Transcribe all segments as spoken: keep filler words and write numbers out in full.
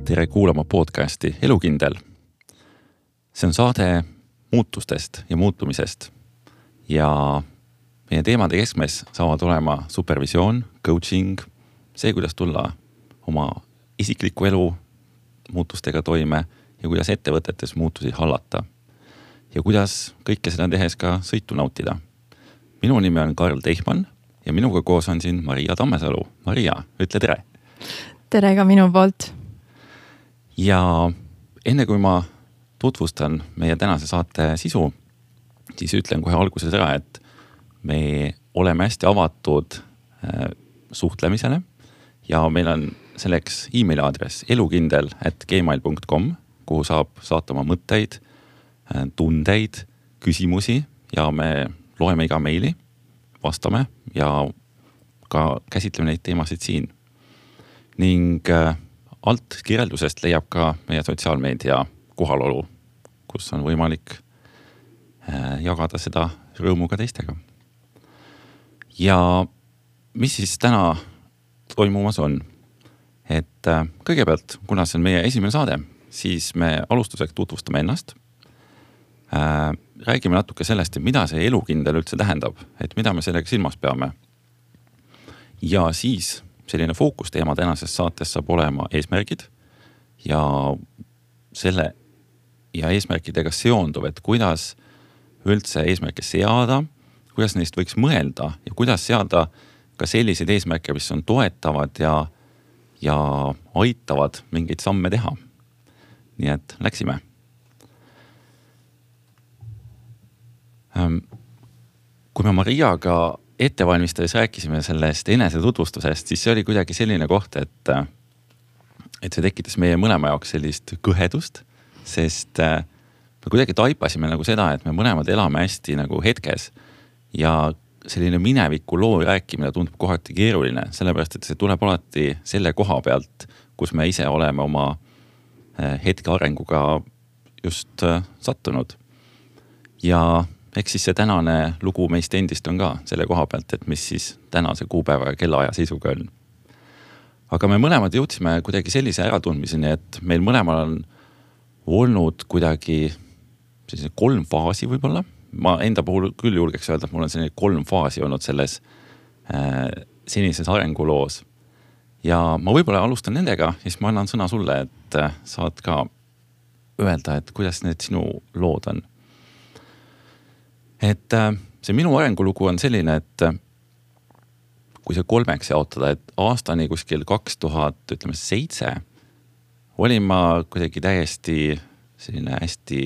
tere kuulama podcasti Elukindel. See on saade muutustest ja muutumisest ja meie teemade keskmes saavad olema supervisioon, coaching, see, kuidas tulla oma isikliku elu muutustega toime ja kuidas ettevõtetes muutusi hallata ja kuidas kõike seda tehes ka sõitu nautida. Minu nimi on Karl Teichmann ja minuga koos on siin Maria Tammesalu. Maria, ütle tere! Tere ka minu poolt! Ja enne kui ma tutvustan meie tänase saate sisu, siis ütlen kohe alguses ära, et me oleme hästi avatud äh, suhtlemisele ja meil on selleks emaili aadress elukindel at gmail dot com, kuhu saab saata oma mõtteid, äh, tundeid, küsimusi ja me loeme iga meili, vastame ja ka käsitleme neid teemasid siin. Ning äh, alt kirjeldusest leiab ka meie sotsiaalmeedia kohalolu, kus on võimalik jagada seda rõõmu ka teistega. Ja mis siis täna toimumas on? Et kõigepealt, kuna see on meie esimene saade, siis me alustuseks tutvustame ennast. Räägime natuke sellest, et mida see elukindel üldse tähendab, et mida me sellega silmas peame. Ja siis selline fookusteema tänases saates saab olema eesmärgid ja selle ja eesmärkidega seonduv, et kuidas üldse eesmärke seada, kuidas neist võiks mõelda ja kuidas seada ka selliseid eesmärke, mis on toetavad ja, ja aitavad mingeid samme teha. Nii et läksime. Kui me Mariaga ettevalmistades rääkisime sellest enese tutvustusest, siis see oli kuidagi selline koht, et, et see tekitas meie mõlema jaoks sellist kõhedust, sest me kuidagi taipasime nagu seda, et me mõlemad elame hästi nagu hetkes ja selline mineviku loo rääkimine tundub kohati keeruline, sellepärast, et see tuleb alati selle koha pealt, kus me ise oleme oma hetke arenguga just sattunud. Ja eks siis see tänane lugu meist endist on ka selle koha pealt, et mis siis tänase kuupäeva ja kellaaja seisuga on. Aga me mõlemad jõudsime kuidagi sellise äratundmiseni, et meil mõlemal on olnud kuidagi sellise kolm faasi võib-olla. Ma enda puhul küll julgeks öelda, et mul on selline kolm faasi olnud selles äh, senises arenguloos. Ja ma võib-olla alustan nendega, siis ma annan sõna sulle, et äh, saad ka öelda, et kuidas need sinu lood on. Et see minu arengulugu on selline, et kui see kolmeks jaotada, et aastani kuskil kaks tuhat, ütleme seitse, olin ma kuidagi täiesti selline hästi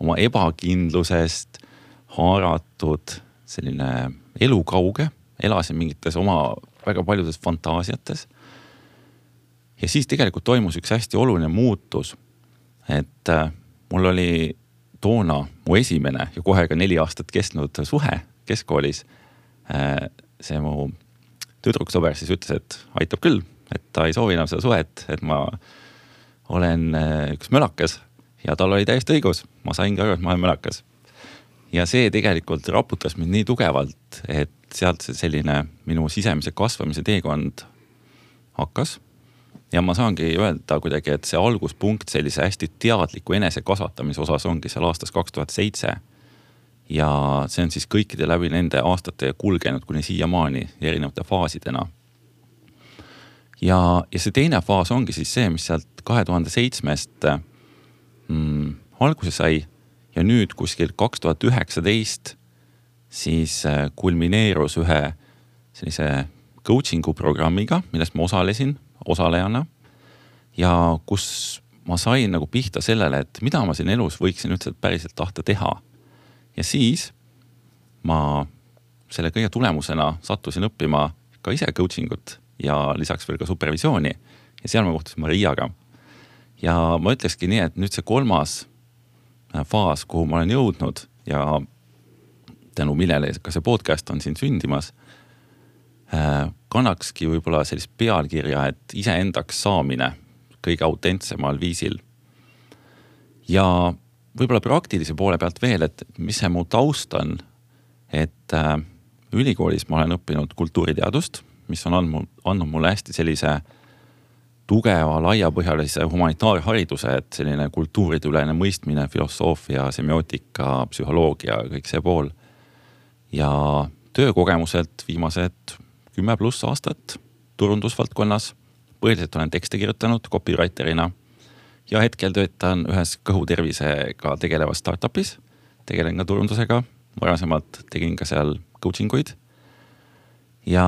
oma ebakindlusest haaratud selline elukauge, elasin mingites oma väga paljudes fantaasiates. Ja siis tegelikult toimus üks hästi oluline muutus, et mul oli toona mu esimene ja kohe ka neli aastat kestnud suhe keskkoolis. See mu tüdruksõber siis ütles, et aitab küll, et ta ei soovi enam seda suhet, et ma olen üks mölakas ja tal oli täiesti õigus. Ma sain ka aru, et ma olen mölakas. Ja see tegelikult raputas mind nii tugevalt, et sealt selline minu sisemise kasvamise teekond hakkas. Ja ma saangi öelda kuidagi, et see alguspunkt sellise hästi teadliku enese kasvatamise osas ongi seal aastas kaks tuhat seitse. Ja see on siis kõikide läbi nende aastate kulgenud kuni siiamaani erinevate faasidena. Ja, ja see teine faas ongi siis see, mis sealt kahe tuhande seitsmest mm, alguse sai ja nüüd kuskil kaks tuhat üheksateist siis kulmineerus ühe sellise coachingu programmiga, millest ma osalesin osalejana ja kus ma sain nagu pihta sellele, et mida ma siin elus võiksin üldse päriselt tahta teha. Ja siis ma selle kõige tulemusena sattusin õppima ka ise coachingut ja lisaks veel ka supervisiooni ja seal ma kohtusin Mariaga. Ja ma ütlekski nii, et nüüd see kolmas faas, kuhu ma olen jõudnud ja tänu millele ka see podcast on siin sündimas, kannakski võib-olla sellist pealkirja, et iseendaks saamine kõige autentsemal viisil. Ja võib-olla praktilise poole pealt veel, et mis see mu taust on, et ülikoolis ma olen õppinud kultuuriteadust, mis on andnud, andnud mulle hästi sellise tugeva, laiapõhjalise humanitaarhariduse, et selline kultuurideülene mõistmine, filosoofia, semiootika, psühholoogia, kõik see pool. Ja töökogemuselt viimased kümme pluss aastat turundusvaldkonnas. Põhiliselt olen tekste kirjutanud copywriterina ja hetkel töötan ühes kõhutervisega tegelevas startupis. Tegelen ka turundusega. Varasemalt tegin ka seal coaching uid. Ja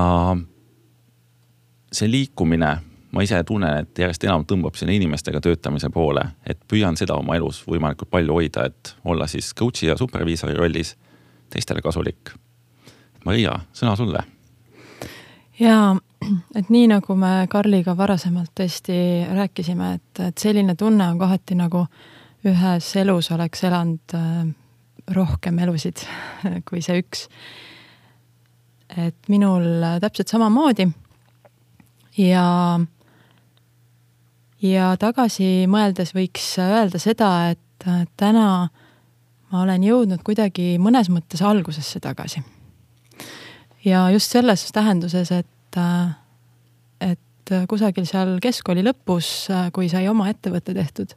see liikumine, ma ise tunnen, et järjest enam tõmbab sinna inimestega töötamise poole, et püüan seda oma elus võimalikult palju hoida, et olla siis coachi ja superviisori rollis teistele kasulik. Maria, sõna sulle. Ja, et nii nagu me Karliga varasemalt tõesti rääkisime, et, et selline tunne on kohati nagu ühes elus oleks elanud rohkem elusid kui see üks. Et minul täpselt sama moodi ja ja tagasi mõeldes võiks öelda seda, et täna ma olen jõudnud kuidagi mõnes mõttes algusesse tagasi. Ja just selles tähenduses, et, et kusagil seal keskkooli lõpus, kui sai oma ettevõtte tehtud,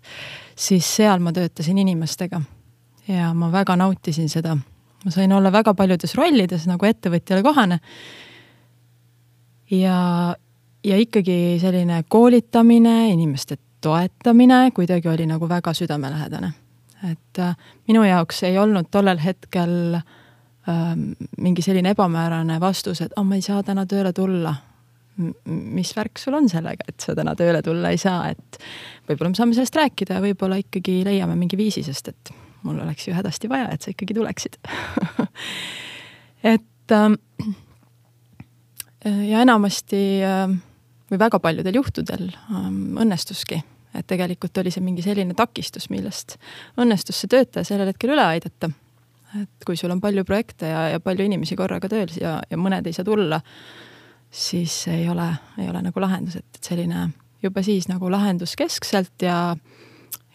siis seal ma töötasin inimestega ja ma väga nautisin seda. Ma sain olla väga paljudes rollides nagu ettevõtjale kohane ja Ja ikkagi selline koolitamine, inimeste toetamine kuidagi oli nagu väga südamelähedane. Et minu jaoks ei olnud tollel hetkel ähm, mingi selline ebamäärane vastus, et oh, ma ei saa täna tööle tulla. M- mis värk sul on sellega, et sa täna tööle tulla ei saa, et võib-olla me saame sellest rääkida ja võib-olla ikkagi leiame mingi viisi, sest et mul oleks ju hädasti vaja, et sa ikkagi tuleksid. et ähm, ja enamasti ähm, või väga paljudel juhtudel ähm, õnnestuski, et tegelikult oli see mingi selline takistus, millest õnnestus see töötaja sellel hetkel üle aidata. Et kui sul on palju projekte ja, ja palju inimesi korraga tööl ja, ja mõned ei saa tulla, siis ei ole, ei ole nagu lahendus, et selline juba siis nagu lahendus keskselt ja,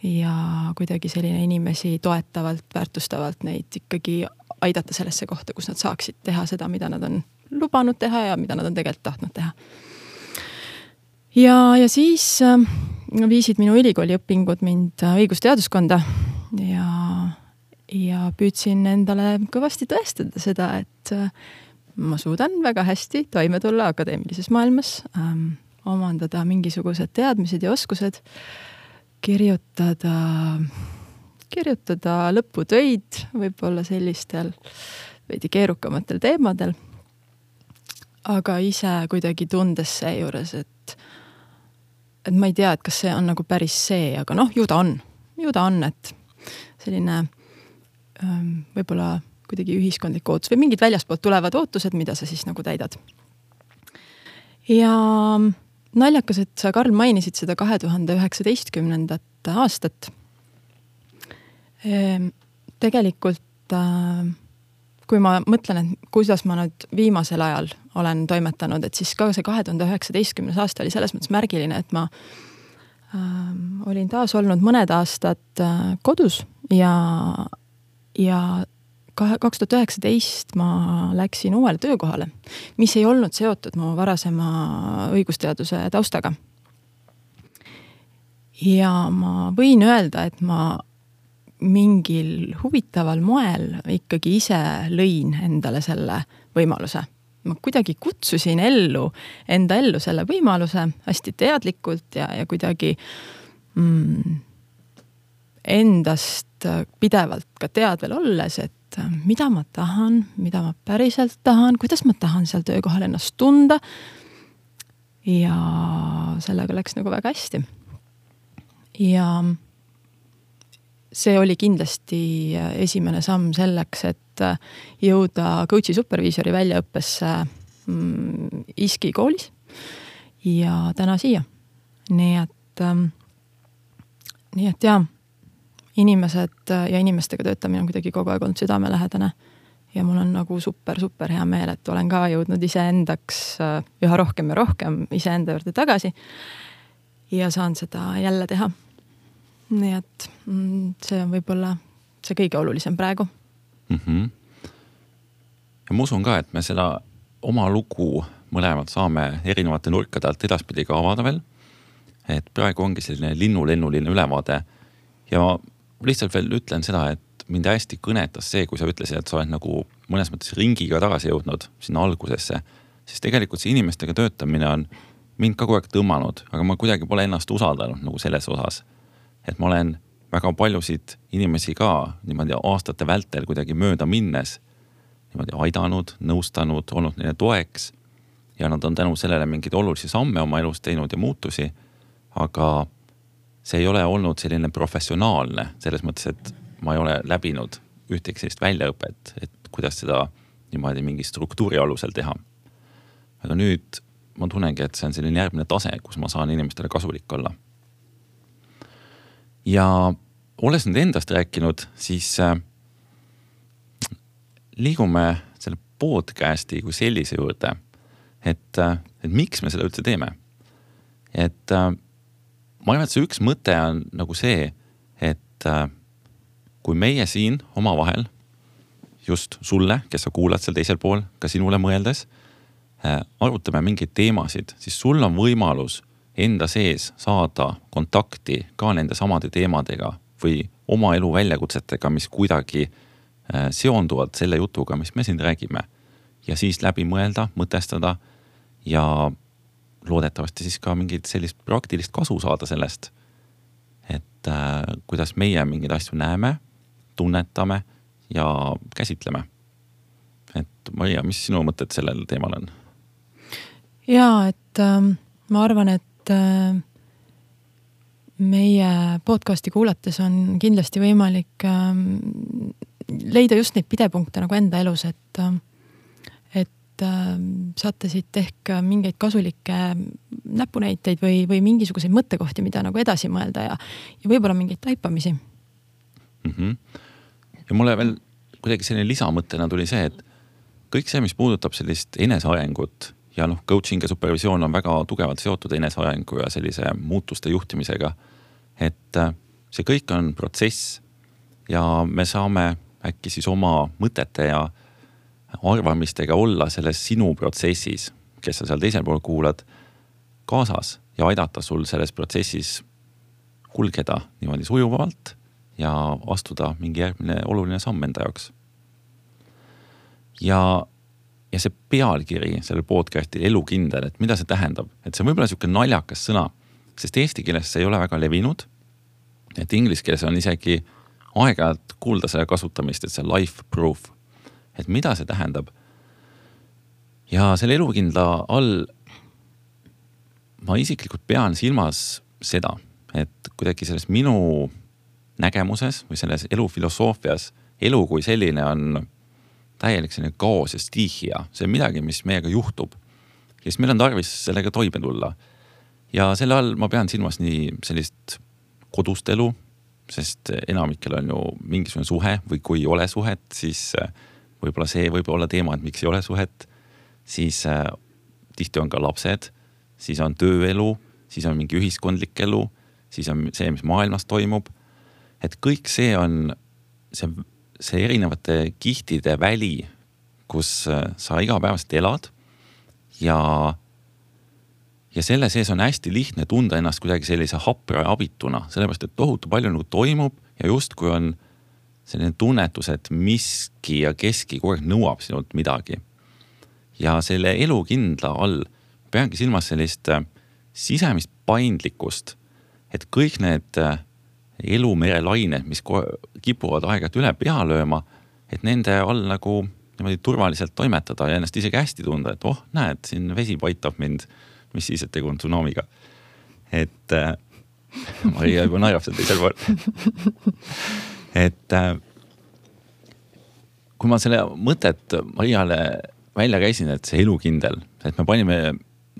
ja kuidagi selline inimesi toetavalt, väärtustavalt neid ikkagi aidata sellesse kohta, kus nad saaksid teha seda, mida nad on lubanud teha ja mida nad on tegelikult tahtnud teha. Ja, ja siis äh, viisid minu ülikooli õpingud mind õigusteaduskonda ja, ja püüdsin endale kõvasti tõestada seda, et äh, ma suudan väga hästi toime tulla akadeemilises maailmas, ähm, omandada mingisugused teadmised ja oskused, kirjutada, kirjutada lõputöid võib-olla sellistel veidi keerukamatel teemadel, aga ise kuidagi tundes seejuures, et et ma ei tea, et kas see on nagu päris see, aga noh, ju ta on. Ju ta on, et selline ähm, võib-olla kuidagi ühiskondlik ootus või mingid väljaspoolt tulevad ootused, mida sa siis nagu täidad. Ja naljakas, et sa, Karl, mainisid seda kahe tuhande üheksateistkümnendat aastat. Ehm, tegelikult äh, kui ma mõtlen, et kuidas ma nüüd viimasel ajal olen toimetanud, et siis ka see kahe tuhande üheksateistkümnes aasta oli selles mõttes märgiline, et ma ähm, olin taas olnud mõned aastad äh, kodus ja, ja kaks tuhat üheksateist ma läksin uuele töökohale, mis ei olnud seotud mu varasema õigusteaduse taustaga. Ja ma võin öelda, et ma mingil huvitaval moel ikkagi ise lõin endale selle võimaluse. Ma kuidagi kutsusin ellu, enda ellu selle võimaluse hästi teadlikult ja, ja kuidagi mm, endast pidevalt ka teadvel olles, et mida ma tahan, mida ma päriselt tahan, kuidas ma tahan seal töökohal ennast tunda ja sellega läks nagu väga hästi. Ja see oli kindlasti esimene samm selleks, et jõuda coachi superviisori väljaõppesse mm, ISKI koolis ja täna siia. Nii et, ähm, nii et jah, inimesed ja inimestega töötamine on kuidagi kogu aeg olnud südamelähedane ja mul on nagu super, super hea meel, et olen ka jõudnud iseendaks üha rohkem ja rohkem iseenda juurde tagasi ja saan seda jälle teha. Nii et see on võib-olla see kõige olulisem praegu. Mm-hmm. Ja ma usun ka, et me seda oma lugu mõlemad saame erinevate nurkade alt edaspidi ka avada veel. et praegu ongi selline linnulennuline ülevaade ja ma lihtsalt veel ütlen seda, et mind hästi kõnetas see, kui sa ütlesid, et sa oled nagu mõnes mõttes ringiga tagasi jõudnud sinna algusesse, siis tegelikult see inimestega töötamine on mind ka kogu aeg tõmmanud, aga ma kuidagi pole ennast usaldanud nagu selles osas, et ma olen väga paljusid inimesi ka niimoodi aastate vältel kuidagi mööda minnes niimoodi aidanud, nõustanud, olnud neile toeks ja nad on tänu sellele mingeid olulisi samme oma elus teinud ja muutusi, aga see ei ole olnud selline professionaalne, selles mõttes, et ma ei ole läbinud ühtegi sellist väljaõpet, et kuidas seda niimoodi mingi struktuuri alusel teha. Aga nüüd ma tunnengi, et see on selline järgmine tase, kus ma saan inimestele kasulik olla. Ja olles nüüd endast rääkinud, siis äh, liigume selle podcasti kui sellise juurde, et, äh, et miks me seda üldse teeme. Et äh, ma arvan, et see üks mõte on nagu see, et äh, kui meie siin oma vahel, just sulle, kes sa kuulad seal teisel pool, ka sinule mõeldes, äh, arutame mingeid teemasid, siis sul on võimalus enda sees saada kontakti ka nende samade teemadega või oma elu väljakutsetega, mis kuidagi äh, seonduvad selle jutuga, mis me siin räägime. Ja siis läbi mõelda, mõtestada ja loodetavasti siis ka mingit sellist praktilist kasu saada sellest, et äh, kuidas meie mingeid asju näeme, tunnetame ja käsitleme. Et Maria, mis sinu mõtted sellel teemal on? Jaa, et äh, ma arvan, et äh, meie podcasti kuulates on kindlasti võimalik äh, leida just neid pidepunkte nagu enda elus, et äh, saate siit ehk mingeid kasulikke näpunäiteid või, või mingisuguseid mõttekohti, mida nagu edasi mõelda ja, ja võib-olla mingeid taipamisi. Mm-hmm. Ja mulle veel kuidagi selline lisamõttena tuli see, et kõik see, mis puudutab sellist enesearengut ja noh, coaching ja supervisioon on väga tugevalt seotud enesearengu ja sellise muutuste juhtimisega, et see kõik on protsess ja me saame äkki siis oma mõtete ja arvamistega olla selles sinu protsessis, kes sa seal teisel pool kuulad, kaasas ja aidata sul selles protsessis kulgeda niimoodi sujuvalt ja astuda mingi järgmine oluline samm enda jaoks. Ja, ja see pealkiri sellel podcastil elukindel, et mida see tähendab, et see on võib-olla siuke naljakas sõna, sest eesti keeles see ei ole väga levinud, et inglise keeles on isegi aeg-ajalt kuulda selle kasutamist, et see life proof, et mida see tähendab. Ja selle elukindla all ma isiklikult pean silmas seda, et kuidagi selles minu nägemuses või selles elufilosoofias elu kui selline on täielik selline kaos ja stiihia. See on midagi, mis meiega juhtub. Ja siis meil on tarvis sellega toime tulla. Ja selle all ma pean silmas nii sellist kodust elu, sest enamikel on ju mingisugune suhe või kui ei ole suhet, siis võib-olla see võib olla teema, et miks ei ole suhet, siis äh, tihti on ka lapsed, siis on tööelu, siis on mingi ühiskondlik elu, siis on see, mis maailmas toimub. Et kõik see on see, see erinevate kihtide väli, kus äh, sa igapäevast elad ja, ja selle sees on hästi lihtne tunda ennast kuidagi sellise hapra abituna, sellepärast, et tohutu palju nagu toimub ja just kui on selline tunnetus, et miski ja keski kogu aeg nõuab sinult midagi. Ja selle elukindla all peangi silmas sellist sisemist paindlikkust, et kõik need elumerelained, mis kipuvad aegalt üle pea lööma, et nende all nagu niimoodi turvaliselt toimetada ja ennast isegi hästi tunda, et oh, näed, siin vesi paitab mind, mis siis, et tegu on tsunamiga. Et äh, Maria juba naerab seal teisel pool. Et kui ma selle mõtet Mariale välja käisin, et see elukindel, et me panime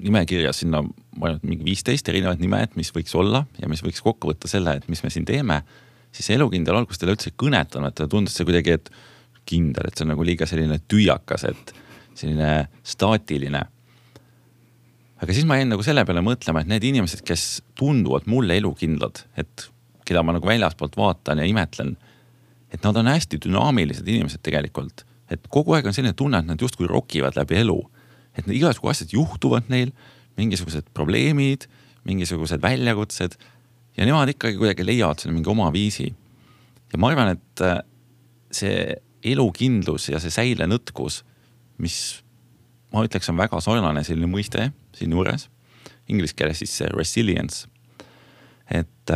nimekirja sinna mingi viisteist erinevad nimed, mis võiks olla ja mis võiks kokku võtta selle, et mis me siin teeme, siis see elukindel alguses teile üldse kõnetanud, et tundus see kuidagi, et kindel, et see on nagu liiga selline tüüakas, et selline staatiline. Aga siis ma jäin nagu selle peale mõtlema, et need inimesed, kes tunduvad mulle elukindlad, et keda ma nagu väljaspoolt vaatan ja imetlen, et nad on hästi dünaamilised inimesed tegelikult. Et kogu aeg on selline tunne, et nad just kui rokivad läbi elu. Et igasugused asjad juhtuvad neil, mingisugused probleemid, mingisugused väljakutsed ja nemad ikkagi kuidagi leiavad selle mingi oma viisi. Ja ma arvan, et see elukindlus ja see säilenõtkus, mis ma ütleks on väga sarnane selline mõiste siin juures, inglise keeles siis see resilience, et,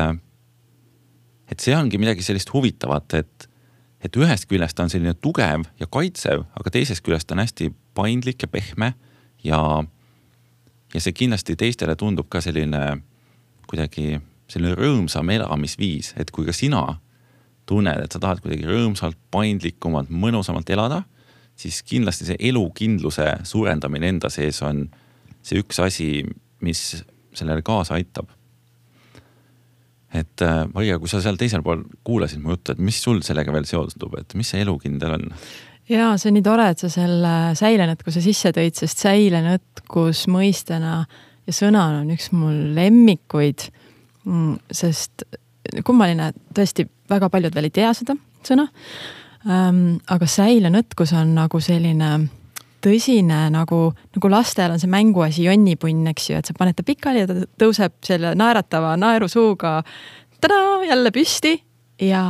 et see ongi midagi sellist huvitavat, et, et ühest küljest on selline tugev ja kaitsev, aga teisest küljest on hästi paindlik ja pehme ja, ja see kindlasti teistele tundub ka selline kuidagi selline rõõmsam elamisviis, et kui ka sina tunned, et sa tahad kuidagi rõõmsalt, paindlikumalt, mõnusamalt elada, siis kindlasti see elukindluse suurendamine enda sees on see üks asi, mis sellele kaasa aitab. Et Maria, kui sa seal teisel pool kuulasid mu juttu, et mis sul sellega veel seostub, et mis see elukindel on? Jaa, see on nii tore, et sa selle säilenõtkuse sisse tõid, sest säilenõtkus mõistena ja sõnana on üks mul lemmikuid, sest kummaline, tõesti väga paljud veel ei tea seda sõna, ähm, aga säilenõtkus on nagu selline tõsine, nagu, nagu lastel on see mänguasi jonnipunn, eks ju, et sa paned ta pikali ja ta tõuseb selle naeratava naerusuuga tada, jälle püsti ja,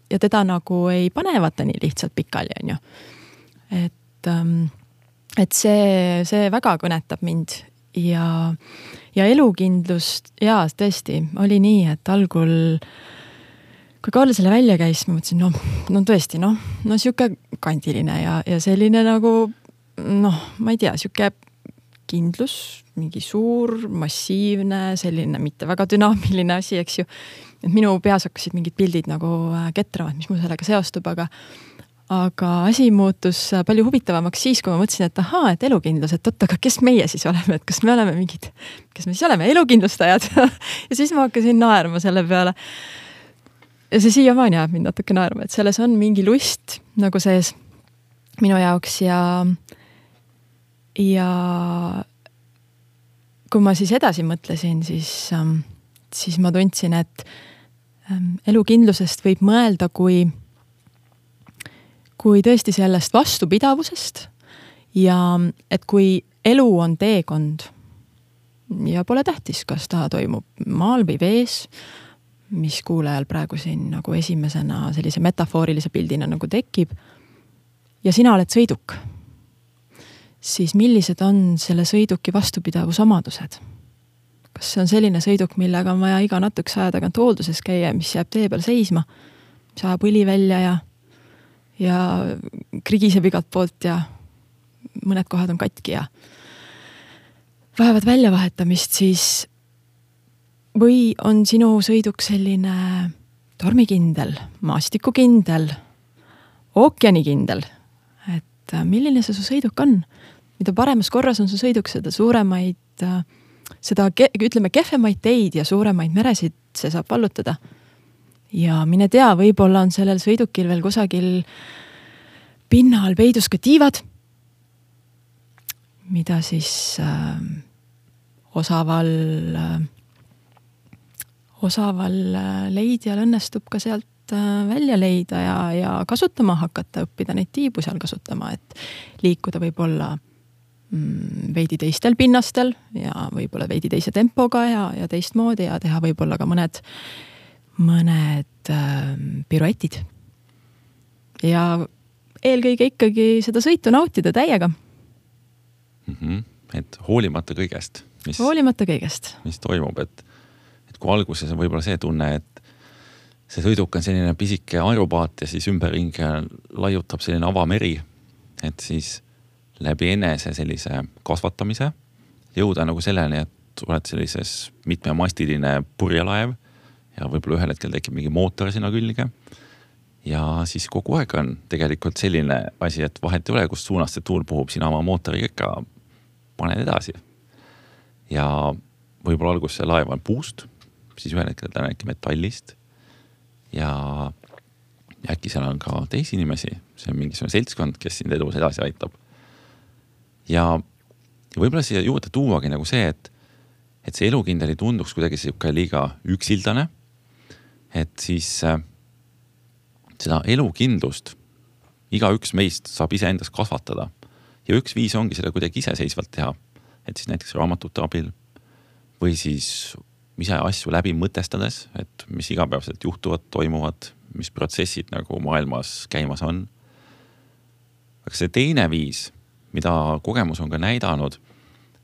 ja teda nagu ei panevata nii lihtsalt pikali, on ju. Et, ähm, et see, see väga kõnetab mind ja, ja elukindlust, jaa, tõesti, oli nii, et algul kui Karl selle välja käis, ma mõtlesin, no, no tõesti, no, no siuke kandiline ja, ja selline nagu, noh, ma ei tea, siuke kindlus, mingi suur, massiivne, selline mitte väga dünaamiline asi, eks ju. Et minu peas hakkasid mingid pildid nagu ketravad, mis mul sellega seostub, aga, aga asi muutus palju huvitavamaks siis, kui ma mõtlesin, et ahaa, et elukindlus, et oot, aga kes meie siis oleme, et kas me oleme mingid, kes me siis oleme, elukindlustajad ja siis ma hakkasin naerma selle peale. Ja see siiamaani jääb mind natuke naerma, et selles on mingi lust nagu sees minu jaoks ja ja kui ma siis edasi mõtlesin, siis, siis ma tundsin, et elukindlusest võib mõelda kui, kui tõesti sellest vastupidavusest ja et kui elu on teekond ja pole tähtis, kas ta toimub maal või vees, mis kuulajal praegu siin nagu esimesena sellise metafoorilise pildina nagu tekib ja sina oled sõiduk, siis millised on selle sõiduki vastupidavusomadused? Kas see on selline sõiduk, millega on vaja iga natukese aja tagant hoolduses käia, mis jääb tee peal seisma, mis ajab õli välja ja, ja krigiseb igalt poolt ja mõned kohad on katki ja vajavad väljavahetamist, siis või on sinu sõiduk selline tormikindel, maastikukindel, ookeanikindel, et milline see su sõiduk on? Mida paremas korras on su sõiduk, seda suuremaid, seda ütleme kehvemaid teid ja suuremaid meresid see saab vallutada. Ja mine tea, võib-olla on sellel sõidukil veel kusagil pinnal peidus ka tiivad, mida siis äh, osaval äh, osaval leidjal õnnestub ka sealt välja leida ja, ja kasutama hakata, õppida neid tiibu seal kasutama, et liikuda võib-olla mm, veidi teistel pinnastel ja võib-olla veidi teise tempoga ja, ja teistmoodi ja teha võib-olla ka mõned, mõned äh, piruetid. Ja eelkõige ikkagi seda sõitu nautida täiega. Mm-hmm. Et hoolimata kõigest, mis, hoolimata kõigest. mis toimub, et kui alguses on võib-olla see tunne, et see sõiduk on selline pisike aeropaat ja siis ümberringi laiutab selline avameri, et siis läbi enese sellise kasvatamise jõuda nagu selleni, et oled sellises mitmemastiline purjelaev ja võib-olla ühel hetkel tekib mingi mootor sinna külge ja siis kogu aeg on tegelikult selline asi, et vahet ei ole, kus suunas see tuul puhub, sina oma mootoriga ikka paned edasi ja võib-olla algus see laev on puust, siis ühel hetkel ta on äkki metallist ja äkki seal on ka teisi inimesi, see on mingisugune seltskond, kes sind edus edasi aitab. Ja, ja võib-olla siia juurde tuuagi nagu see, et, et see elukindel ei tunduks kuidagi siuke liiga üksildane, et siis äh, seda elukindlust iga üks meist saab ise endas kasvatada ja üks viis ongi seda kuidagi iseseisvalt teha, et siis näiteks raamatute abil või siis ise asju läbi mõtestades, et mis igapäevaselt juhtuvad, toimuvad, mis protsessid nagu maailmas käimas on. Aga see teine viis, mida kogemus on ka näidanud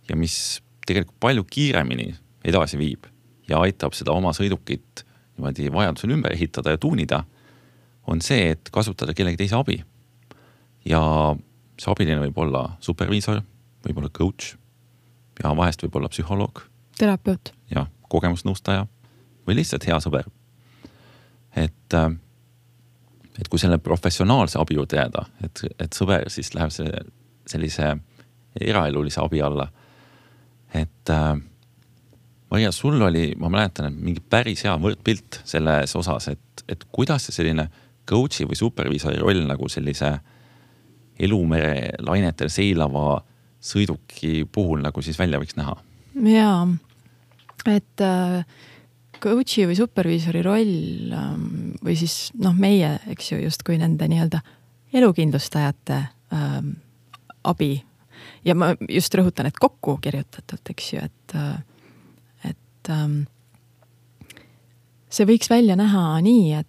ja mis tegelikult palju kiiremini edasi viib ja aitab seda oma sõidukit niimoodi vajadusel ümber ehitada ja tuunida, on see, et kasutada kellegi teise abi. Ja see abiline võib olla superviisor, võib olla coach ja vahest võib olla psühholoog. Terapeut. Ja kogemusnõustaja või lihtsalt hea sõber. Et, et kui selle professionaalse abi juurde jääda, et, et sõber siis läheb see, sellise eraelulise abi alla. Et Maria, sul oli, ma mäletan, et mingi päris hea võrdpilt selles osas, et, et kuidas see selline coachi või superviisori roll nagu sellise elumere lainetel seilava sõiduki puhul nagu siis välja võiks näha? Jaa, et coachi või superviisori roll või siis noh, meie, eks ju, just kui nende nii-öelda elukindlustajate ähm, abi ja ma just rõhutan, et kokku kirjutatult, eks ju, et, et ähm, see võiks välja näha nii, et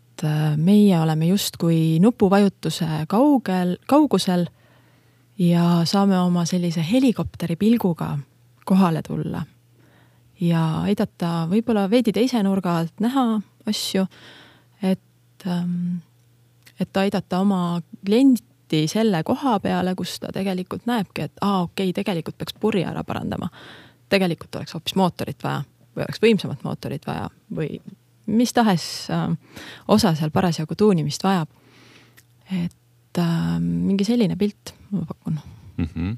meie oleme justkui nupuvajutuse kaugel, kaugusel ja saame oma sellise helikopteri pilguga kohale tulla ja aidata võib-olla veidi teise nurga alt näha asju, et, et aidata oma klienti selle koha peale, kus ta tegelikult näebki, et aa, okei, tegelikult peaks purje ära parandama. Tegelikult oleks hoopis mootorit vaja või oleks võimsamat mootorit vaja või mis tahes osa seal parasjagu tuunimist vajab. Et äh, mingi selline pilt ma pakun. Mm-hmm.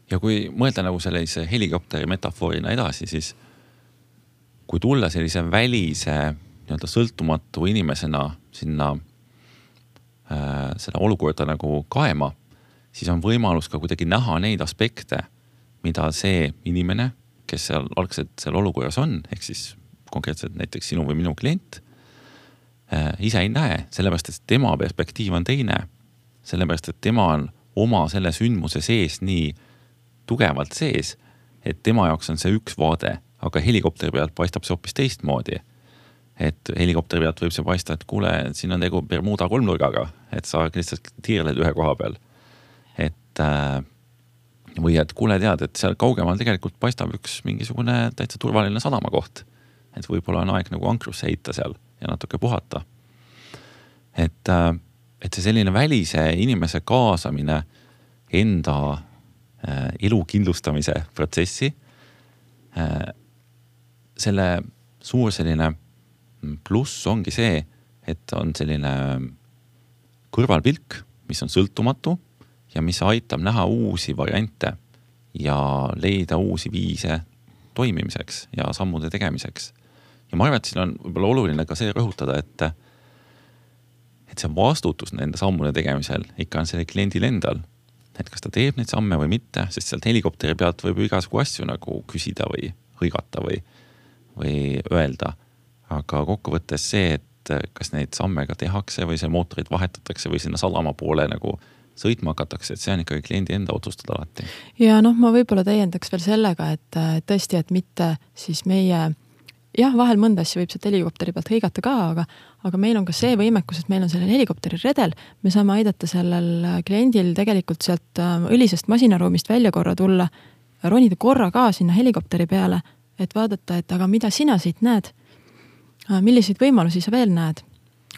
Ja kui mõelda nagu sellise helikopteri metafoorina edasi, siis kui tulla sellise välise nii-öelda sõltumatu inimesena sinna äh, seda olukorda nagu kaema, siis on võimalus ka kuidagi näha neid aspekte, mida see inimene, kes seal algselt seal olukorras on, ehk siis konkreetselt näiteks sinu või minu klient, äh, ise ei näe, sellepärast, et tema perspektiiv on teine, sellepärast, et tema on oma selle sündmuse sees nii tugevalt sees, et tema jaoks on see üks vaade, aga helikopteri pealt paistab see hoopis teistmoodi. Et helikopteri pealt võib see paista, et kuule, siin on tegu Bermuda kolmnurgaga, et sa lihtsalt tiirled ühe koha peal. Et, või et kuule tead, et seal kaugemal tegelikult paistab üks mingisugune täitsa turvaline sadama koht. Et võib-olla on aeg nagu ankrusse heita seal ja natuke puhata. Et, et see selline välise inimese kaasamine enda elu kindlustamise protsessi. Selle suur selline pluss ongi see, et on selline kõrvalpilk, mis on sõltumatu ja mis aitab näha uusi variante ja leida uusi viise toimimiseks ja sammude tegemiseks. Ja ma arvan, et siin on võib-olla oluline ka see rõhutada, et, et see vastutus nende sammude tegemisel ikka on selle kliendil endal. Et kas ta teeb neid samme või mitte, sest sealt helikopteri pealt võib igasugu asju nagu küsida või hõigata või, või öelda. Aga kokkuvõttes see, et kas neid samme ka tehakse või see mootorid vahetatakse või sinna sadama poole nagu sõitma hakatakse, et see on ikkagi kliendi enda otsustada alati. Ja noh, ma võib-olla täiendaks veel sellega, et tõesti, et mitte siis meie jah, vahel mõnda asja võib sealt helikopteri pealt hõigata ka, aga, aga meil on ka see võimekus, et meil on sellel helikopteri redel. Me saame aidata sellel kliendil tegelikult sealt õlisest masinaruumist välja korra tulla, ronida korra ka sinna helikopteri peale, et vaadata, et aga mida sina siit näed, milliseid võimalusi sa veel näed,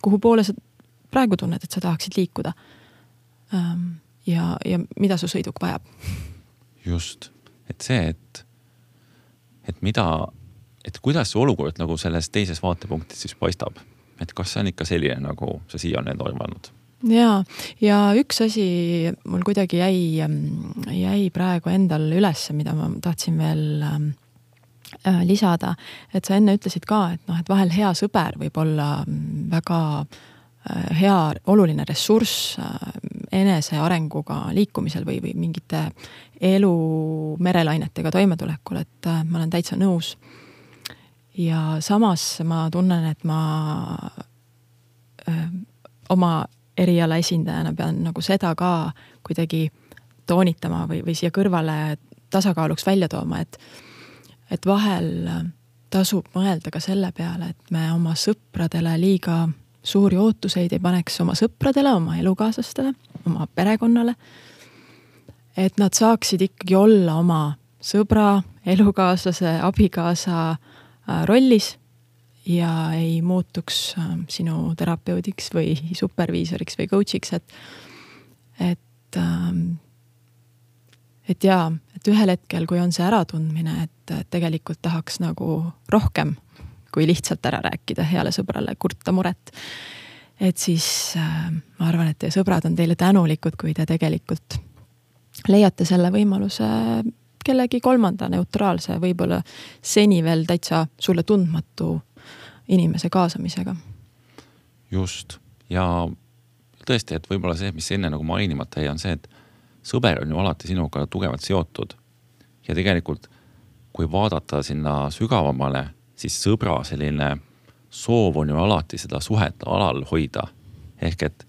kuhu poole sa praegu tunned, et sa tahaksid liikuda ja, ja mida su sõiduk vajab. Just, et see, et, et mida et kuidas see olukord nagu selles teises vaatepunktis siis paistab? Et kas see on ikka selline, nagu sa siia on need arvanud? Jaa, ja üks asi mul kuidagi jäi, jäi praegu endal üles, mida ma tahtsin veel äh, lisada, et sa enne ütlesid ka, et, no, et vahel hea sõber võib olla väga äh, hea oluline ressurss äh, enese arenguga liikumisel või, või mingite elu merelainetega toimetulekul, et äh, ma olen täitsa nõus. Ja samas ma tunnen, et ma öö, oma eriala esindajana pean nagu seda ka kuidagi toonitama või, või siia kõrvale tasakaaluks välja tooma, et et vahel tasub mõelda ka selle peale, et me oma sõpradele liiga suuri ootuseid ei paneks oma sõpradele, oma elukaaslastele, oma perekonnale. Et nad saaksid ikkagi olla oma sõbra, elukaaslase, abikaasa rollis ja ei muutuks sinu terapeudiks või superviisoriks või coachiks, et, et, et jaa, et ühel hetkel, kui on see äratundmine, et tegelikult tahaks nagu rohkem kui lihtsalt ära rääkida heale sõbrale, kurta muret. Et siis äh, ma arvan, et teie sõbrad on teile tänulikud, kui te tegelikult leiate selle võimaluse kellegi kolmanda neutraalse, võib-olla seni veel täitsa sulle tundmatu inimese kaasamisega. Just. Ja tõesti, et võib-olla see, mis enne nagu mainimata ei on see, et sõber on ju alati sinuga tugevalt seotud. Ja tegelikult, kui vaadata sinna sügavamale, siis sõbra selline soov on ju alati seda suhet alal hoida. Ehk et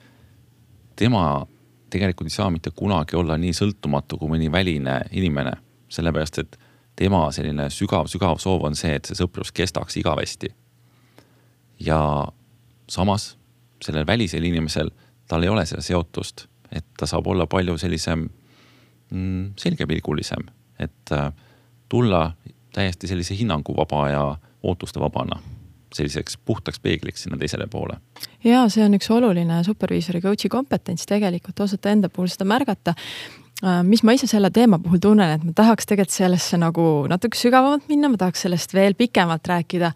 tema tegelikult ei saa mitte kunagi olla nii sõltumatu kui mõni väline inimene. Sellepärast, et tema selline sügav, sügav soov on see, et see sõprus kestaks igavesti. Ja samas sellel välisel inimesel tal ei ole seda seotust, et ta saab olla palju sellisem mm, selgepilgulisem, et äh, tulla täiesti sellise hinnanguvaba ja ootuste vabana, selliseks puhtaks peegliks sinna teisele poole. Jaa, see on üks oluline superviisori coachi kompetents tegelikult osata enda puhul seda märgata. Mis ma ise selle teema puhul tunnen, et ma tahaks tegelikult sellesse nagu natuke sügavamalt minna, ma tahaks sellest veel pikemalt rääkida.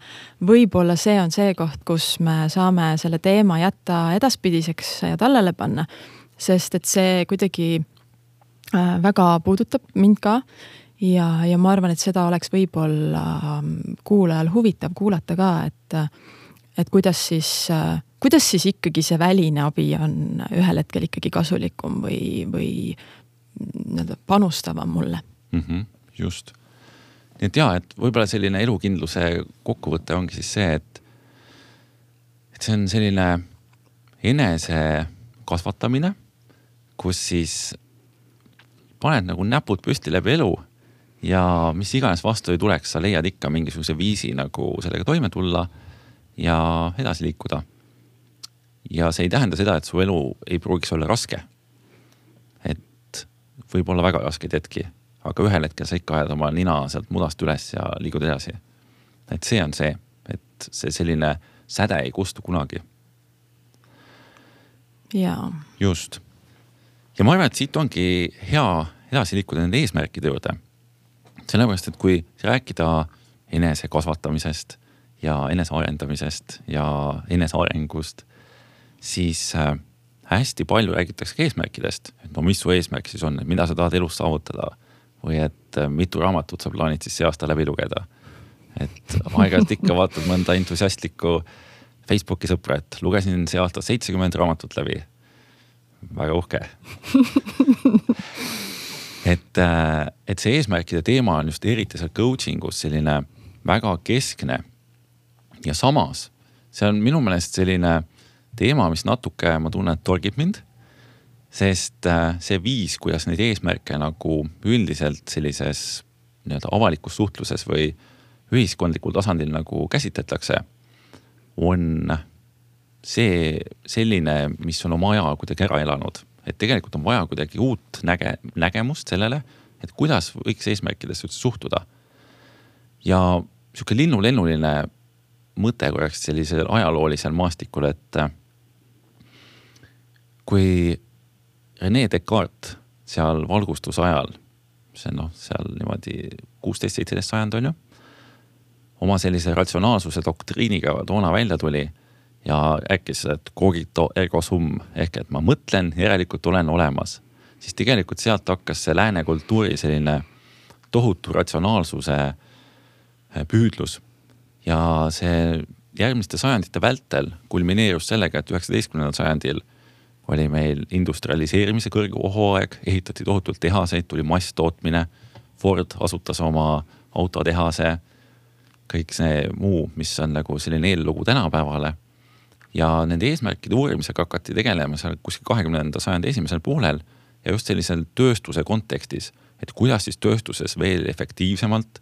Võib-olla see on see koht, kus me saame selle teema jätta edaspidiseks ja tallele panna, sest et see kuidagi väga puudutab mind ka. Ja, ja ma arvan, et seda oleks võib-olla kuulajal huvitav kuulata ka, et, et kuidas siis, kuidas siis ikkagi see väline abi on ühel hetkel ikkagi kasulikum või, või panustavam mulle. Mm-hmm, just. Nii et jaa, et võib-olla selline elukindluse kokkuvõte ongi siis see, et, et see on selline enese kasvatamine, kus siis paned nagu näpud püsti läbi elu ja mis iganes vastu ei tuleks, sa leiad ikka mingisuguse viisi nagu sellega toime tulla ja edasi liikuda. Ja see ei tähenda seda, et su elu ei pruugiks olla raske. Et võib olla väga raske hetki, aga ühel hetkel sa ikka ajad oma nina sealt mudast üles ja liigud edasi. Et see on see, et see selline säde ei kustu kunagi. Jaa. Just. Ja ma arvan, et siit ongi hea edasi liikuda nende eesmärkide juurde. Sellepärast, et kui rääkida enese kasvatamisest ja enese arendamisest ja enese arengust, siis hästi palju räägitakse eesmärkidest. Et no mis su eesmärk siis on, et mida sa tahad elus saavutada või et mitu raamatut sa plaanid siis see aasta läbi lugeda. Et aeg-ajalt ikka vaatad mõnda entusiastlikku Facebooki sõpra, et lugesin see aasta seitsekümmend raamatut läbi. Väga uhke. Et, et see eesmärkide teema on just eriti seal coachingus selline väga keskne ja samas see on minu meelest selline teema, mis natuke, ma tunnen, et torgib mind, sest see viis, kuidas neid eesmärke nagu üldiselt sellises nii-öelda avalikus suhtluses või ühiskondlikul tasandil nagu käsitletakse, on see selline, mis on oma aja kuidagi ära elanud. Et tegelikult on vaja kuidagi uut näge, nägemust sellele, et kuidas võiks eesmärkidesse suhtuda. Ja siuke linnu-lennuline mõte korraks sellisel ajaloolisel maastikul, et kui René Descartes seal valgustuse ajal, see no, seal niimoodi kuusteist seitseteist sajand on ju, oma sellise ratsionaalsuse doktriiniga toona välja tuli ja äkki seda, et cogito ergo sum, ehk et ma mõtlen, järelikult olen olemas. Siis tegelikult sealt hakkas see lääne kultuuri selline tohutu ratsionaalsuse püüdlus. Ja see järgmiste sajandite vältel kulmineerus sellega, et üheksateistkümnendal sajandil oli meil industrialiseerimise kõrge ohuaeg, ehitati tohutult tehaseid, tuli masstootmine, Ford asutas oma autotehase, kõik see muu, mis on nagu selline eellugu tänapäevale. Ja nende eesmärkide uurimisega hakati tegelema seal kuskil kahekümnenda sajandi esimesel poolel ja just sellisel tööstuse kontekstis, et kuidas siis tööstuses veel efektiivsemalt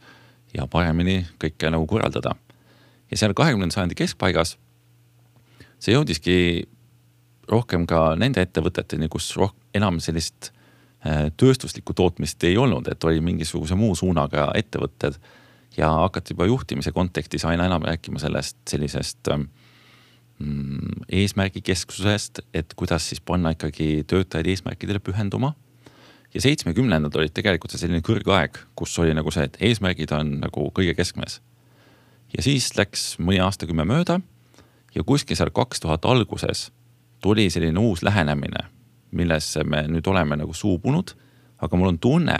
ja paremini kõike nagu korraldada. Ja seal kahekümnenda sajandi keskpaigas see jõudiski rohkem ka nende ettevõteteni, kus roh- enam sellist tööstuslikku tootmist ei olnud, et oli mingisuguse muu suunaga ettevõtted ja hakati juba juhtimise kontekstis aina enam rääkima sellest sellisest mm, eesmärgikesksusest, et kuidas siis panna ikkagi töötajaid eesmärkidele pühenduma. Ja seitsmekümnendad olid tegelikult selline kõrgaeg, kus oli nagu see, et eesmärgid on nagu kõige keskmes. Ja siis läks mõni aastakümme mööda ja kuskil seal kaks tuhat alguses tuli selline uus lähenemine, millesse me nüüd oleme nagu suubunud, aga mul on tunne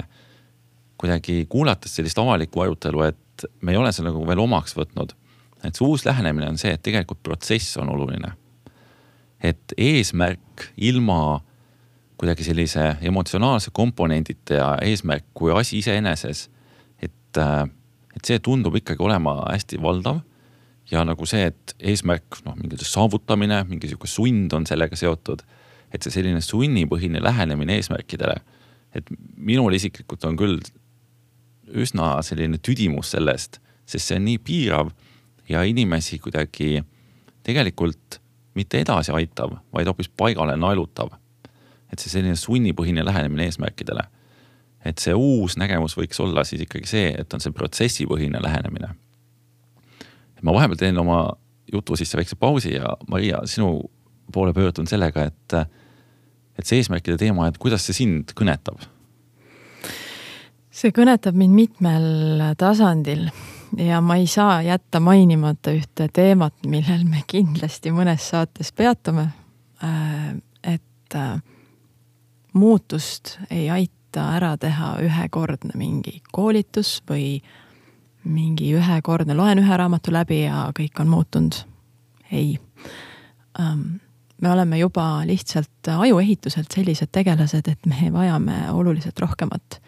kuidagi kuulates sellist avalikku arutelu, et me ei ole see nagu veel omaks võtnud. Et see uus lähenemine on see, et tegelikult protsess on oluline. Et eesmärk ilma kuidagi sellise emotsionaalse komponendite ja eesmärk kui asi iseeneses, et, et see tundub ikkagi olema hästi valdav ja nagu see, et eesmärk, noh, mingi saavutamine, mingisugune sund on sellega seotud, et see selline sunnipõhine lähenemine eesmärkidele, et minul isiklikult on küll üsna selline tüdimus sellest, sest see on nii piirav ja inimesi kuidagi tegelikult mitte edasi aitav, vaid hoopis paigale naelutav. Et see selline sunnipõhine lähenemine eesmärkidele. Et see uus nägemus võiks olla siis ikkagi see, et on see protsessipõhine lähenemine. Ma vahepeal teen oma jutu sisse väikse pausi ja Maria, sinu poole pöördun sellega, et et see eesmärkide teema, et kuidas see sind kõnetab? See kõnetab mind mitmel tasandil ja ma ei saa jätta mainimata ühte teemat, millel me kindlasti mõnes saates peatume, et muutust ei aita ära teha ühekordne mingi koolitus või mingi ühekordne, loen ühe raamatu läbi ja kõik on muutunud. Ei. Me oleme juba lihtsalt ajuehituselt sellised tegelased, et me vajame oluliselt rohkemat.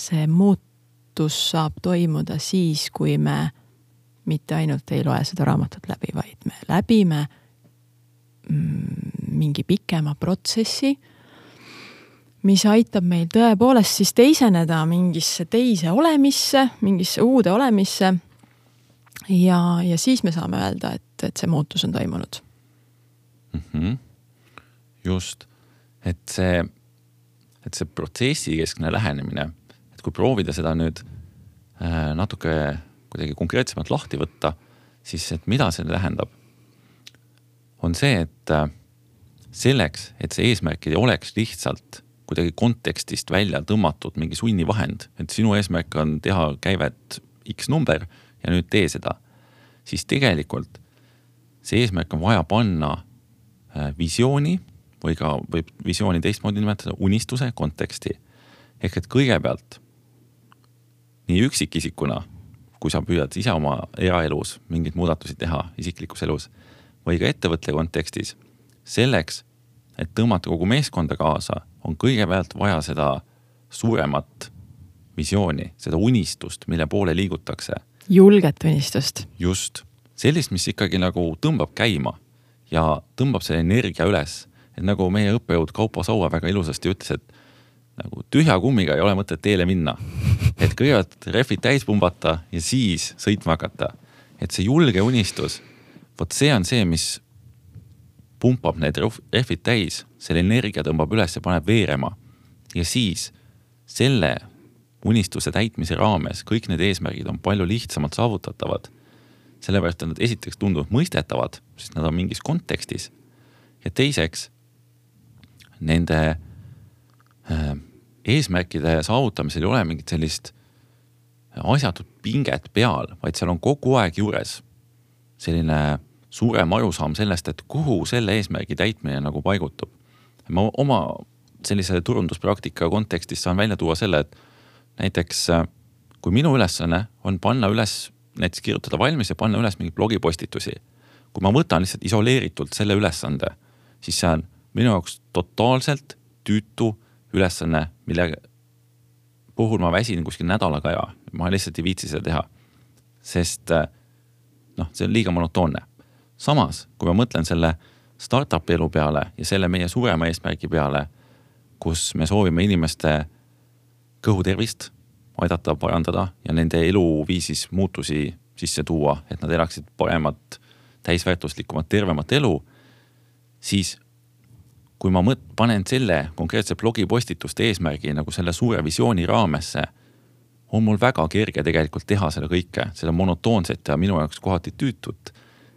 See muutus saab toimuda siis, kui me mitte ainult ei loe seda raamatut läbi, vaid me läbime mingi pikema protsessi, mis aitab meil tõepoolest siis teiseneda mingisse teise olemisse, mingisse uude olemisse ja, ja siis me saame öelda, et, et see muutus on toimunud. Mm-hmm. Just, et see, et see protsessi keskne lähenemine, et kui proovida seda nüüd äh, natuke kuidagi konkreetsemalt lahti võtta, siis et mida see tähendab, on see, et äh, selleks, et see eesmärk ei oleks lihtsalt kuidagi kontekstist välja tõmmatud mingi sunnivahend, et sinu eesmärk on teha käivet X number ja nüüd tee seda, siis tegelikult see eesmärk on vaja panna visiooni või ka võib visiooni teistmoodi nimetada unistuse konteksti. Ehk et kõigepealt nii üksikisikuna, kui sa püüad ise oma eraelus mingid muudatusi teha isiklikus elus või ka ettevõtte kontekstis, selleks, et tõmmata kogu meeskonda kaasa, on kõigepealt vaja seda suuremat visiooni, seda unistust, mille poole liigutakse. Julget unistust. Just. Sellist, mis ikkagi nagu tõmbab käima ja tõmbab selle energia üles. Et nagu meie õppejõud Kaupo Saua väga ilusasti ütles, et nagu tühja kummiga ei ole mõtet teele minna. Et kõigepealt refid täis pumbata ja siis sõitma hakata. Et see julge unistus, võt see on see, mis pumpab need refid täis, selle energia tõmbab üles ja paneb veerema. Ja siis selle unistuse täitmise raames kõik need eesmärgid on palju lihtsamalt saavutatavad. Sellepärast, et nad esiteks tunduvad mõistetavad, sest nad on mingis kontekstis. Ja teiseks, nende äh, eesmärkide saavutamisel ei ole mingit sellist asjatut pinget peal, vaid seal on kogu aeg juures selline suurem arusaam sellest, et kuhu selle eesmärgi täitmine nagu paigutub. Ma oma sellise turunduspraktika kontekstis saan välja tuua selle, et näiteks kui minu ülesanne on panna üles, näiteks kirjutada valmis ja panna üles mingi blogipostitusi. Kui ma võtan lihtsalt isoleeritult selle ülesande, siis see on minu jaoks totaalselt tüütu ülesanne, mille puhul ma väsin kuskil nädalaga ja ma lihtsalt ei viitsi seda teha. Sest noh, see on liiga monotoonne. Samas, kui ma mõtlen selle startup elu peale ja selle meie suurema eesmärgi peale, kus me soovime inimeste kõhutervist aidata parandada ja nende eluviisis muutusi sisse tuua, et nad elaksid paremat, täisväärtuslikumat, tervemat elu, siis kui ma mõt, panen selle konkreetse blogipostituste eesmärgi nagu selle suure visiooni raamesse, on mul väga kerge tegelikult teha seda kõike, seda monotoonset ja minu jaoks kohati tüütut,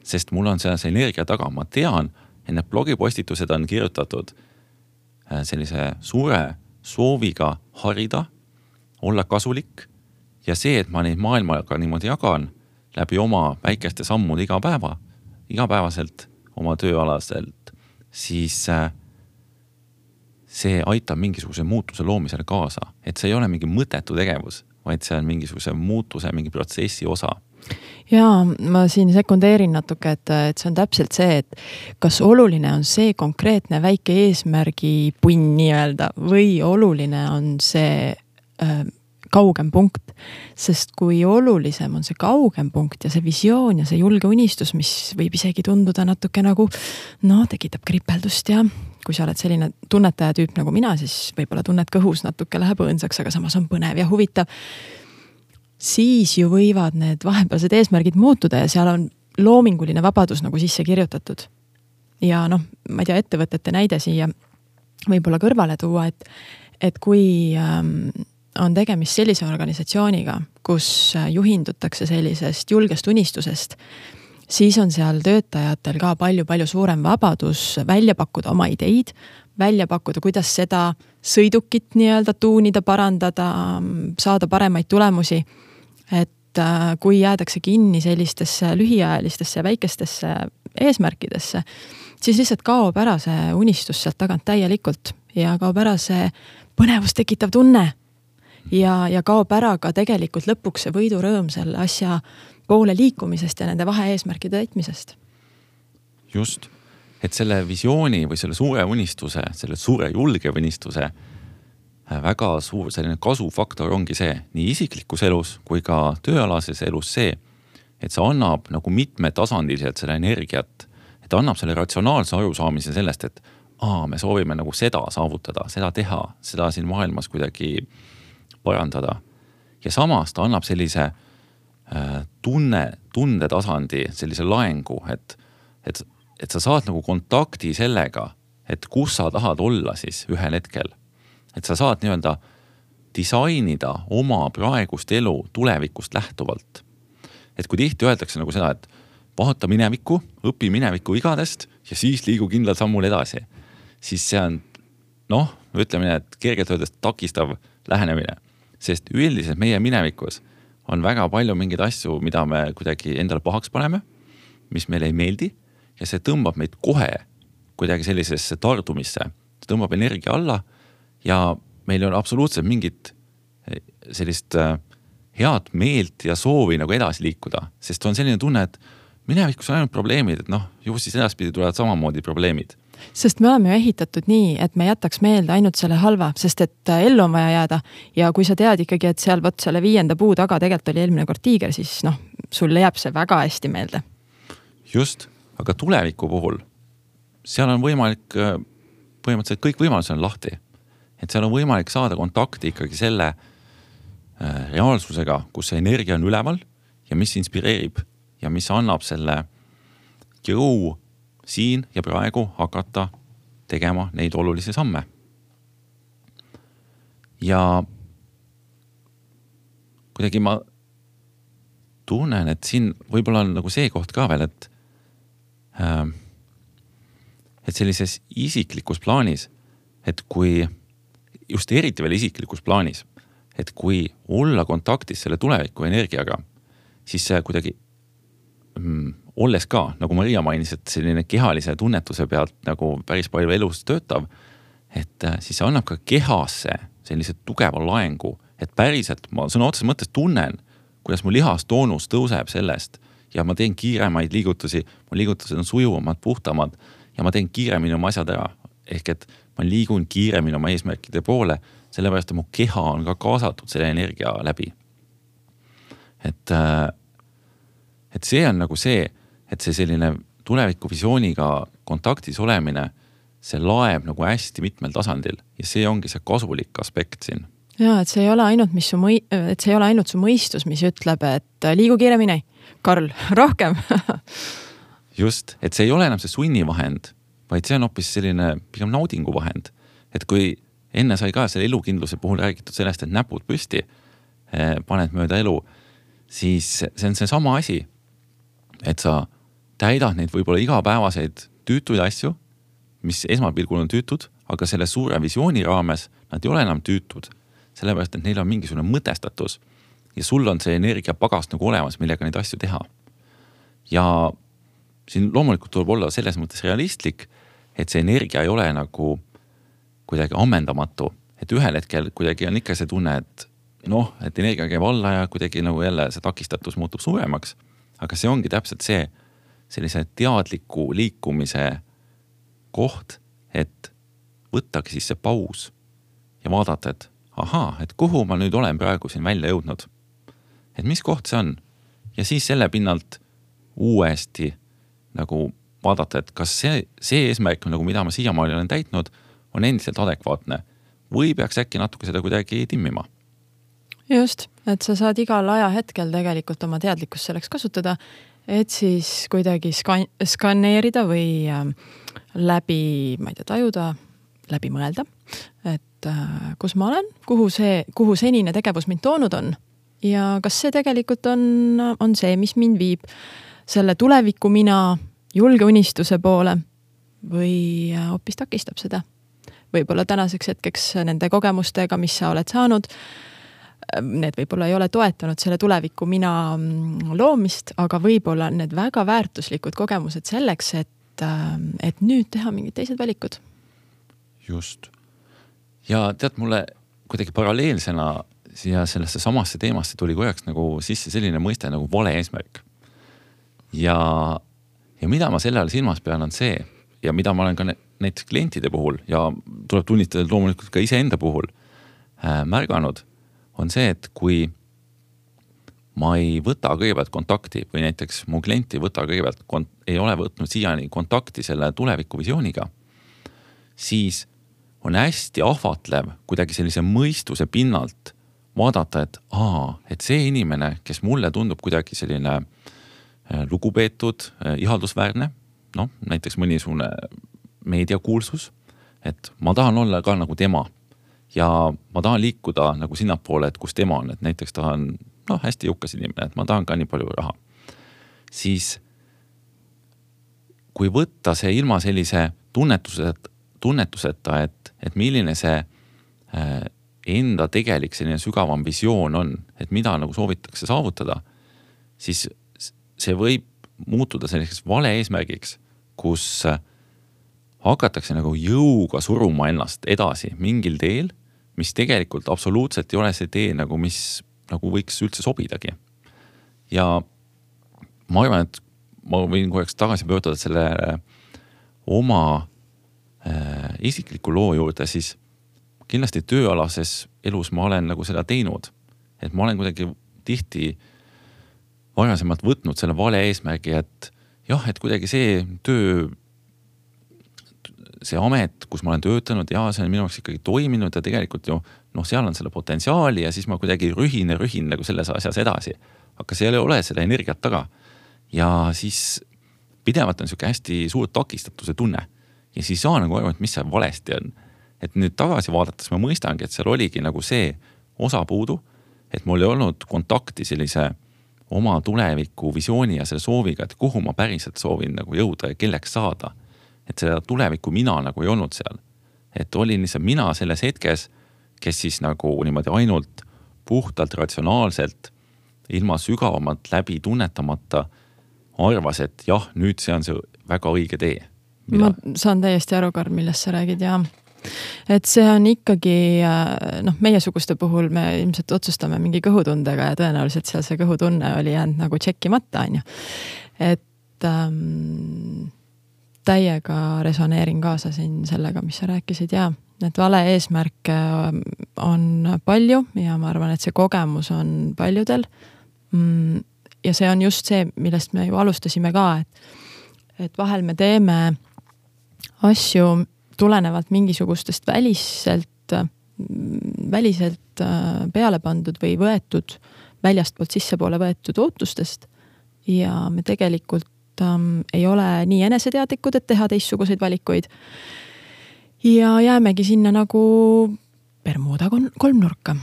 sest mul on see energia taga, ma tean, et need blogipostitused on kirjutatud sellise suure sooviga harida, olla kasulik ja see, et ma neid maailmaga niimoodi jagan läbi oma väikeste sammude iga päeva, igapäevaselt oma tööalaselt, siis see aitab mingisuguse muutuse loomisele kaasa, et see ei ole mingi mõttetu tegevus, vaid see on mingisuguse muutuse, mingi protsessi osa. Jaa, ma siin sekundeerin natuke, et, et see on täpselt see, et kas oluline on see konkreetne väike eesmärgi punn nii-öelda või oluline on see äh, kaugem punkt, sest kui olulisem on see kaugem punkt ja see visioon ja see julge unistus, mis võib isegi tunduda natuke nagu, no tekitab kripeldust ja kui sa oled selline tunnetaja tüüp nagu mina, siis võib-olla tunned kõhus natuke läheb õõnsaks, aga samas on põnev ja huvitav, siis ju võivad need vahepealsed eesmärgid muutuda ja seal on loominguline vabadus nagu sisse kirjutatud. Ja noh, ma ei tea, ettevõtete näide siia võib-olla kõrvale tuua, et, et kui ähm, on tegemist sellise organisatsiooniga, kus juhindutakse sellisest julgest unistusest, siis on seal töötajatel ka palju-palju suurem vabadus välja pakkuda oma ideid, välja pakkuda, kuidas seda sõidukit nii-öelda tuunida, parandada, saada paremaid tulemusi. Et kui jäädakse kinni sellistesse lühiajalistesse ja väikestesse eesmärkidesse, siis lihtsalt kaob ära see unistus sealt tagant täielikult ja kaob ära see põnevust tekitav tunne ja, ja kaob ära ka tegelikult lõpuks see võidurõõm selle asja poole liikumisest ja nende vahe eesmärkide täitmisest. Just, et selle visiooni või selle suure unistuse, selle suure julge unistuse väga suur selline kasufaktor ongi see nii isiklikus elus kui ka tööalases elus see, et see annab nagu mitmetasandiliselt selle energiat, et annab selle ratsionaalse arusaamise sellest, et aa, me soovime nagu seda saavutada, seda teha, seda siin maailmas kuidagi parandada. Ja samas ta annab sellise äh, tunne, tundetasandi, sellise laengu, et, et, et sa saad nagu kontakti sellega, et kus sa tahad olla siis ühel hetkel. Et sa saad nii-öelda disainida oma praegust elu tulevikust lähtuvalt. Et kui tihti öeldakse nagu seda, et vaata minevikku, õpi minevikku igadest ja siis liigu kindlal sammul edasi, siis see on, noh, ütleme nii, et kergelt öeldes takistav lähenemine, sest üldiselt meie minevikus on väga palju mingeid asju, mida me kuidagi endale pahaks paneme, mis meile ei meeldi ja see tõmbab meid kohe kuidagi sellisesse tardumisse, see tõmbab energia alla ja meil on absoluutselt mingit sellist head meelt ja soovi nagu edasi liikuda, sest on selline tunne, et minevikus on ainult probleemid, et noh, ju siis edaspidi tulevad samamoodi probleemid. Sest me oleme ju ehitatud nii, et me jätaks meelde ainult selle halva, sest et ellu on vaja jääda ja kui sa tead ikkagi, et seal võt selle viienda puu taga tegelikult oli eelmine kord tiiger, siis noh, sulle jääb see väga hästi meelde. Just, aga tuleviku puhul seal on võimalik, põhimõtteliselt kõik võimalused on lahti. Et seal on võimalik saada kontakti ikkagi selle äh, reaalsusega, kus see energia on üleval ja mis inspireerib ja mis annab selle jõu siin ja praegu hakata tegema neid olulisi samme. Ja kuidagi ma tunnen, et siin võib-olla on nagu see koht ka veel, et, äh, et sellises isiklikus plaanis, et kui just eriti veel isiklikus plaanis, et kui olla kontaktis selle tuleviku energiaga, siis see kuidagi mm, olles ka, nagu Maria mainis, et selline kehalise tunnetuse pealt nagu päris palju elus töötav, et siis see annab ka kehasse sellise tugeva laengu, et päriselt ma sõna otseses mõttes tunnen, kuidas mu lihastoonus tõuseb sellest ja ma teen kiiremaid liigutusi, mu liigutused on sujuvamad, puhtamad ja ma teen kiiremini oma asjad ära. Ehk et ma liigun kiiremini oma eesmärkide poole, sellepärast, et mu keha on ka kaasatud selle energia läbi. Et, et see on nagu see, et see selline tuleviku visiooniga kontaktis olemine, see laeb nagu hästi mitmel tasandil ja see ongi see kasulik aspekt siin. Ja, et see ei ole ainult, mis su mõi-, et see ei ole ainult su mõistus, mis ütleb, et liigu kiiremini, Karl, rohkem. Just, et see ei ole enam see sunnivahend, vaid see on hoopis selline pigem naudinguvahend. Et kui enne sai ka selle elukindluse puhul räägitud sellest, et näpud püsti paned mööda elu, siis see on see sama asi, et sa täidad neid võib-olla igapäevaseid tüütuid asju, mis esmapilgul on tüütud, aga selle suure visiooni raames nad ei ole enam tüütud, sellepärast, et neil on mingisugune mõtestatus ja sul on see energiapagast nagu olemas, millega neid asju teha. Ja siin loomulikult tuleb olla selles mõttes realistlik, et see energia ei ole nagu kuidagi ammendamatu, et ühel hetkel kuidagi on ikka see tunne, et noh, et energia käib alla ja kuidagi nagu jälle see takistatus muutub suuremaks, aga see ongi täpselt see sellise teadliku liikumise koht, et võttagi siis see paus ja vaadata, et ahaa, et kuhu ma nüüd olen praegu siin välja jõudnud. Et mis koht see on? Ja siis selle pinnalt uuesti nagu vaadata, et kas see, see eesmärk, nagu mida ma siiamaani olen täitnud, on endiselt adekvaatne või peaks äkki natuke seda kuidagi timmima. Just, et sa saad igal ajahetkel tegelikult oma teadlikkust selleks kasutada, et siis kuidagi skan- skaneerida või äh, läbi, ma ei tea, tajuda, läbi mõelda, et äh, kus ma olen, kuhu, see, kuhu senine tegevus mind toonud on ja kas see tegelikult on, on see, mis mind viib selle tuleviku mina julge unistuse poole või hoopis takistab seda. Võib-olla tänaseks hetkeks nende kogemustega, mis sa oled saanud, need võib-olla ei ole toetanud selle tuleviku mina loomist, aga võib-olla need väga väärtuslikud kogemused selleks, et, et nüüd teha mingid teised valikud. Just. Ja tead, mulle kuidagi paralleelsena siia sellesse samasse teemasse tuli korjaks nagu sisse selline mõiste nagu vale eesmärk. Ja, ja mida ma selle all silmas pean on see, ja mida ma olen ka näiteks klientide puhul ja tuleb tunnitada loomulikult ka iseenda puhul äh, märganud, on see, et kui ma ei võta kõigepealt kontakti või näiteks mu klienti võta kõigepealt, kont- ei ole võtnud siiani kontakti selle tuleviku visiooniga, siis on hästi ahvatlev kuidagi sellise mõistuse pinnalt vaadata, et aa, et see inimene, kes mulle tundub kuidagi selline lugupeetud, ihaldusväärne, noh, näiteks mõnisugune meediakuulsus, et ma tahan olla ka nagu tema ja ma tahan liikuda nagu sinnapoole, et kus tema on, et näiteks tahan, noh, hästi jõukas inimene, et ma tahan ka nii palju raha. Siis kui võtta see ilma sellise tunnetuseta, tunnetuseta, et, et milline see enda tegelik selline sügavam visioon on, et mida nagu soovitakse saavutada, siis see võib muutuda selliseks vale eesmärgiks, kus hakatakse nagu jõuga suruma ennast edasi mingil teel, mis tegelikult absoluutselt ei ole see tee, nagu mis nagu võiks üldse sobidagi. Ja ma arvan, et ma võin korraks tagasi pöörduda selle oma äh, isikliku loo juurde, siis kindlasti tööalases elus ma olen nagu seda teinud, et ma olen kuidagi tihti varasemalt võtnud selle vale eesmärgi, et jah, et kuidagi see töö, see amet, kus ma olen töötanud ja see on minu jaoks ikkagi toiminud ja tegelikult ju, noh, seal on selle potentsiaali ja siis ma kuidagi rühin ja rühin nagu selles asjas edasi. Aga seal ei ole seda energiat taga. Ja siis pidevalt on siuke hästi suur takistatuse tunne. Ja siis saa nagu aru, et mis see valesti on. Et nüüd tagasi vaadates ma mõistangi, et seal oligi nagu see osa puudu, et mul ei olnud kontakti sellise oma tuleviku visiooni ja selle sooviga, et kuhu ma päriselt soovin nagu jõuda ja kelleks saada. Et seda tuleviku mina nagu ei olnud seal. Et olin lihtsalt mina selles hetkes, kes siis nagu niimoodi ainult puhtalt ratsionaalselt, ilma sügavamalt läbi tunnetamata arvas, et jah, nüüd see on see väga õige tee. Mida? Ma saan täiesti aru, Karl, millest sa räägid ja et see on ikkagi, noh, meiesuguste puhul me ilmselt otsustame mingi kõhutundega ja tõenäoliselt seal see kõhutunne oli jäänud nagu tšekkimata, on ju. Et ähm, täiega resoneerin kaasa siin sellega, mis sa rääkisid ja et vale eesmärk on palju ja ma arvan, et see kogemus on paljudel. Ja see on just see, millest me ju alustasime ka, et, et vahel me teeme asju tulenevalt mingisugustest väliselt väliselt peale pandud või võetud, väljastpoolt sissepoole võetud ootustest ja me tegelikult ähm, ei ole nii eneseteadlikud, et teha teistsuguseid valikuid ja jäämegi sinna nagu Bermuda kolmnurka.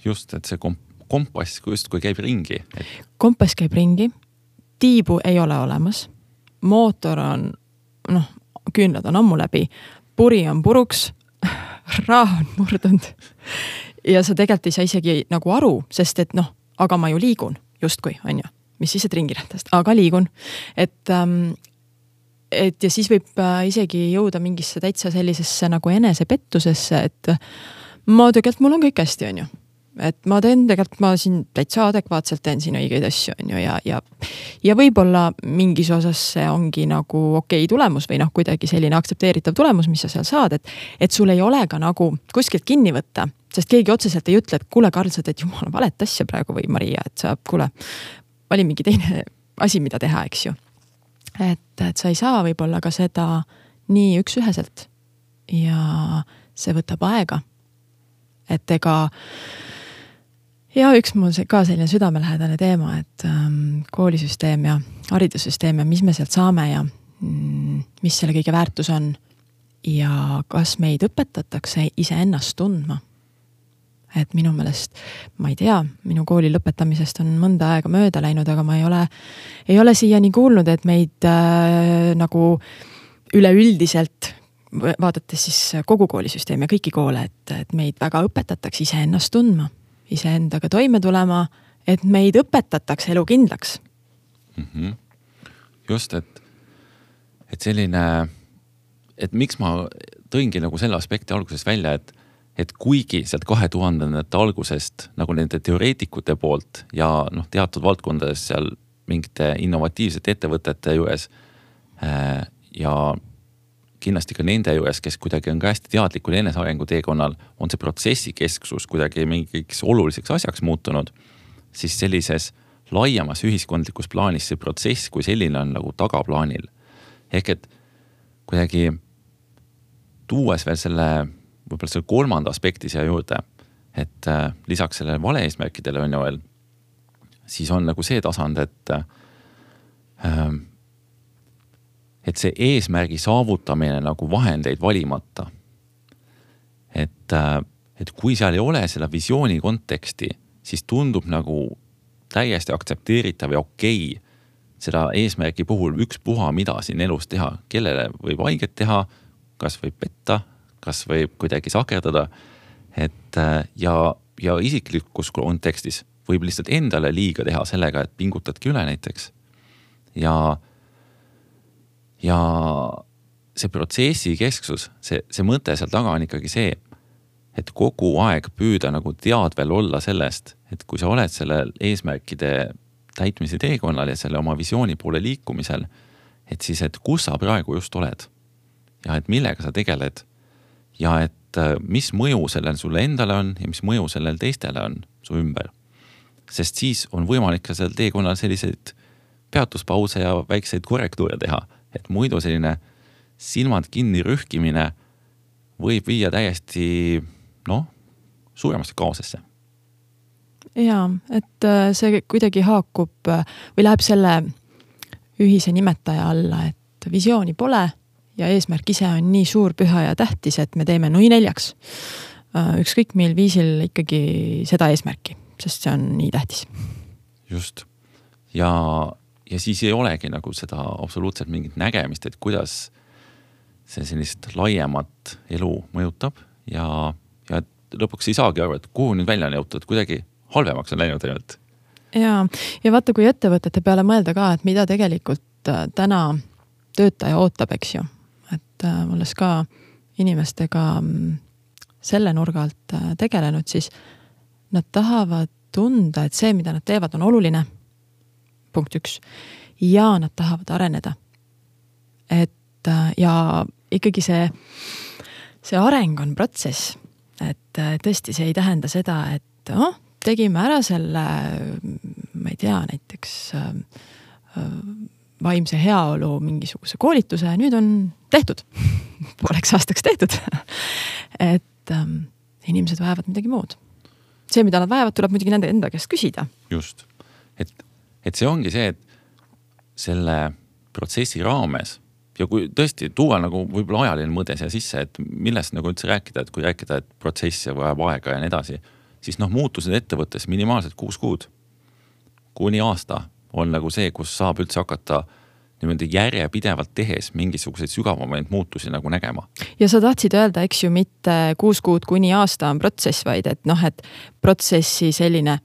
Just, et see komp kompass justkui käib ringi. Et... Kompass käib ringi, tiibu ei ole olemas, mootor on, noh, küünlad on ammu läbi, puri on puruks, raah on murdunud ja sa tegelikult ei saa isegi nagu aru, sest et noh, aga ma ju liigun justkui, on ju, mis siis, et ringirättast, aga liigun, et, ähm, et ja siis võib isegi jõuda mingisse täitsa sellisesse nagu enesepettusesse, et ma tegelikult mul on kõik hästi, on ju. Et ma teen tegelikult, ma siin täitsa adekvaatselt teen siin õigeid asju, on ju, ja, ja, ja võib-olla mingis osas see ongi nagu okei tulemus või noh, kuidagi selline aktsepteeritav tulemus, mis sa seal saad, et, et sul ei ole ka nagu kuskilt kinni võtta, sest keegi otseselt ei ütle, et kuule, Karl, sa teed jumala valet asja praegu või Maria, et sa, kuule, vali mingi teine asi, mida teha, eks ju. Et, et sa ei saa võib-olla ka seda nii üks-üheselt ja see võtab aega. Et ega ja üks mul ka selline südamelähedane teema, et ähm, koolisüsteem ja haridussüsteem ja mis me sealt saame ja mm, mis selle kõige väärtus on ja kas meid õpetatakse iseennast tundma. Et minu meelest, ma ei tea, minu kooli lõpetamisest on mõnda aega mööda läinud, aga ma ei ole, ei ole siiani kuulnud, et meid äh, nagu üleüldiselt vaadates siis kogu koolisüsteem ja kõiki koole, et, et meid väga õpetatakse iseennast tundma. Iseendaga toime tulema, et meid õpetatakse elu kindlaks. Mm-hmm. Just, et, et selline, et miks ma tõingi nagu selle aspekti alguses välja, et, et kuigi sealt kahe tuhandendate algusest nagu nende teoreetikute poolt ja noh, teatud valdkondades seal mingite innovatiivsete ettevõtete juures äh, ja kindlasti ka nende juures, kes kuidagi on ka hästi teadlikul enesearengu teekonnal, on see protsessi kesksus kuidagi mingiks oluliseks asjaks muutunud, siis sellises laiemas ühiskondlikus plaanis see protsess kui selline on nagu tagaplaanil. Ehk et kuidagi tuues veel selle, võib-olla selle kolmanda aspekti siia juurde, et äh, lisaks sellele vale-eesmärkidele on ju veel, siis on nagu see tasand, et äh, et see eesmärgi saavutamine nagu vahendeid valimata. Et, et kui seal ei ole seda visiooni konteksti, siis tundub nagu täiesti aktsepteeritav ja okei seda eesmärgi puhul üks puha, mida siin elus teha, kellele võib haiget teha, kas võib petta, kas võib kuidagi sakerdada, et ja, ja isiklikus kontekstis võib lihtsalt endale liiga teha sellega, et pingutadki üle näiteks. Ja Ja see protsessi kesksus, see, see mõte seal taga on ikkagi see, et kogu aeg püüda nagu teadvel olla sellest, et kui sa oled selle eesmärkide täitmise teekonnal ja selle oma visiooni poole liikumisel, et siis, et kus sa praegu just oled ja et millega sa tegeled ja et mis mõju sellel sulle endale on ja mis mõju sellel teistele on su ümber. Sest siis on võimalik ka seal teekonnal selliseid peatuspause ja väikseid korrektuure teha. Et muidu selline silmad kinni rühkimine võib viia täiesti, noh, suuremasse kaosesse. Jaa, et see kuidagi haakub või läheb selle ühise nimetaja alla, et visiooni pole ja eesmärk ise on nii suur, püha ja tähtis, et me teeme nui neljaks. Ükskõik meil viisil ikkagi seda eesmärki, sest see on nii tähtis. Just. Ja Ja siis ei olegi nagu seda absoluutselt mingit nägemist, et kuidas see sellist laiemat elu mõjutab ja, ja lõpuks ei saagi aru, et kuhu nüüd välja on jõutud, kuidagi halvemaks on läinud ainult. Ja, ja vaata, kui ettevõtete peale mõelda ka, et mida tegelikult täna töötaja ootab, eks ju. Et olles ka inimestega selle nurgalt tegelenud, siis nad tahavad tunda, et see, mida nad teevad, on oluline. Punkt üks. Ja nad tahavad areneda. Et ja ikkagi see, see areng on protsess. Et tõesti see ei tähenda seda, et oh, tegime ära selle, ma ei tea, näiteks vaimse heaolu mingisuguse koolituse ja nüüd on tehtud. Pooleks aastaks tehtud. Et inimesed vajavad midagi muud. See, mida nad vajavad, tuleb muidugi nende enda käest küsida. Just. Et, et see ongi see, et selle protsessi raames ja kui tõesti tuua nagu võib-olla ajaline mõde siia sisse, et millest nagu üldse rääkida, et kui rääkida, et protsessi vajab aega ja nii edasi, siis noh, muutused ettevõttes minimaalselt kuus kuud kuni aasta on nagu see, kus saab üldse hakata niimoodi järjepidevalt tehes mingisuguseid sügavamaid muutusi nagu nägema. Ja sa tahtsid öelda, eks ju, mitte kuus kuud kuni aasta on protsess, vaid et noh, et protsessi selline,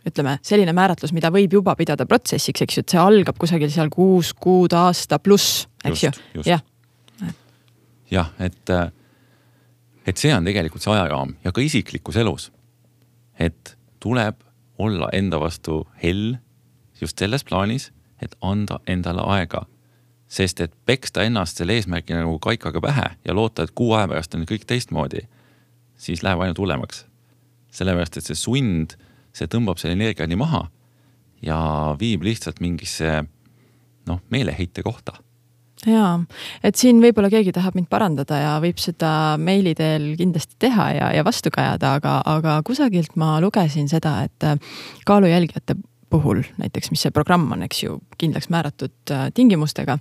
ütleme, selline määratlus, mida võib juba pidada protsessiks, eks ju, et see algab kusagil seal kuus kuud aasta pluss, eks just, ju. Jah, ja, et, et see on tegelikult see ajaraam ja ka isiklikus elus, et tuleb olla enda vastu hell just selles plaanis, et anda endale aega. Sest et peksta ennast selle eesmärki nagu kaikaga pähe ja loota, et kuu aja pärast on kõik teistmoodi, siis läheb ainult hullemaks. Sellepärast, et see sund, see tõmbab selle energia nii maha ja viib lihtsalt mingisse noh, meeleheite kohta. Jaa, et siin võib-olla keegi tahab mind parandada ja võib seda meili teel kindlasti teha ja, ja vastu kajada, aga, aga kusagilt ma lugesin seda, et kaalujälgijate puhul, näiteks mis see programm on, eks ju, kindlaks määratud tingimustega,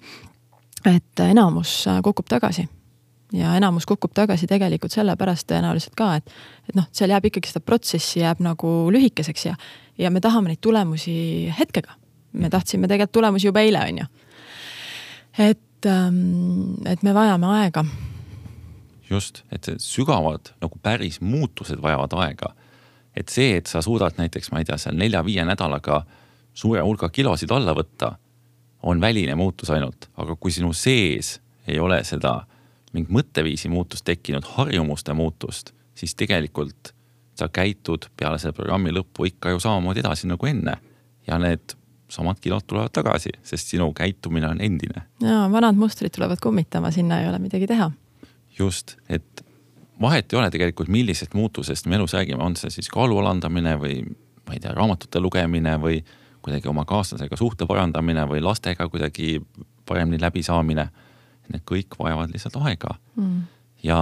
et enamus kukub tagasi. Ja enamus kukub tagasi tegelikult selle pärast tõenäoliselt ka, et, et noh, seal jääb ikkagi seda protsessi jääb nagu lühikeseks ja, ja me tahame neid tulemusi hetkega. Me tahtsime tegelikult tulemusi juba eile, on ju. Et, et me vajame aega. Just, et sügavad nagu päris muutused vajavad aega. Et see, et sa suudad näiteks, ma ei tea, seal nelja-viie nädalaga suure hulga kilosid alla võtta, on väline muutus ainult. Aga kui sinu sees ei ole seda mingi mõtteviisi muutust tekkinud, harjumuste muutust, siis tegelikult sa käitud peale selle programmi lõppu ikka ju samamoodi edasi nagu enne. Ja need samad kilod tulevad tagasi, sest sinu käitumine on endine. Ja, vanad mustrid tulevad kummitama, sinna ei ole midagi teha. Just, et vahet ei ole tegelikult millisest muutusest me elus räägime, on see siis kaalu alandamine või ma ei tea, raamatute lugemine või kuidagi oma kaaslasega suhte parandamine või lastega kuidagi paremini läbi saamine. Need kõik vajavad lihtsalt aega. Mm. Ja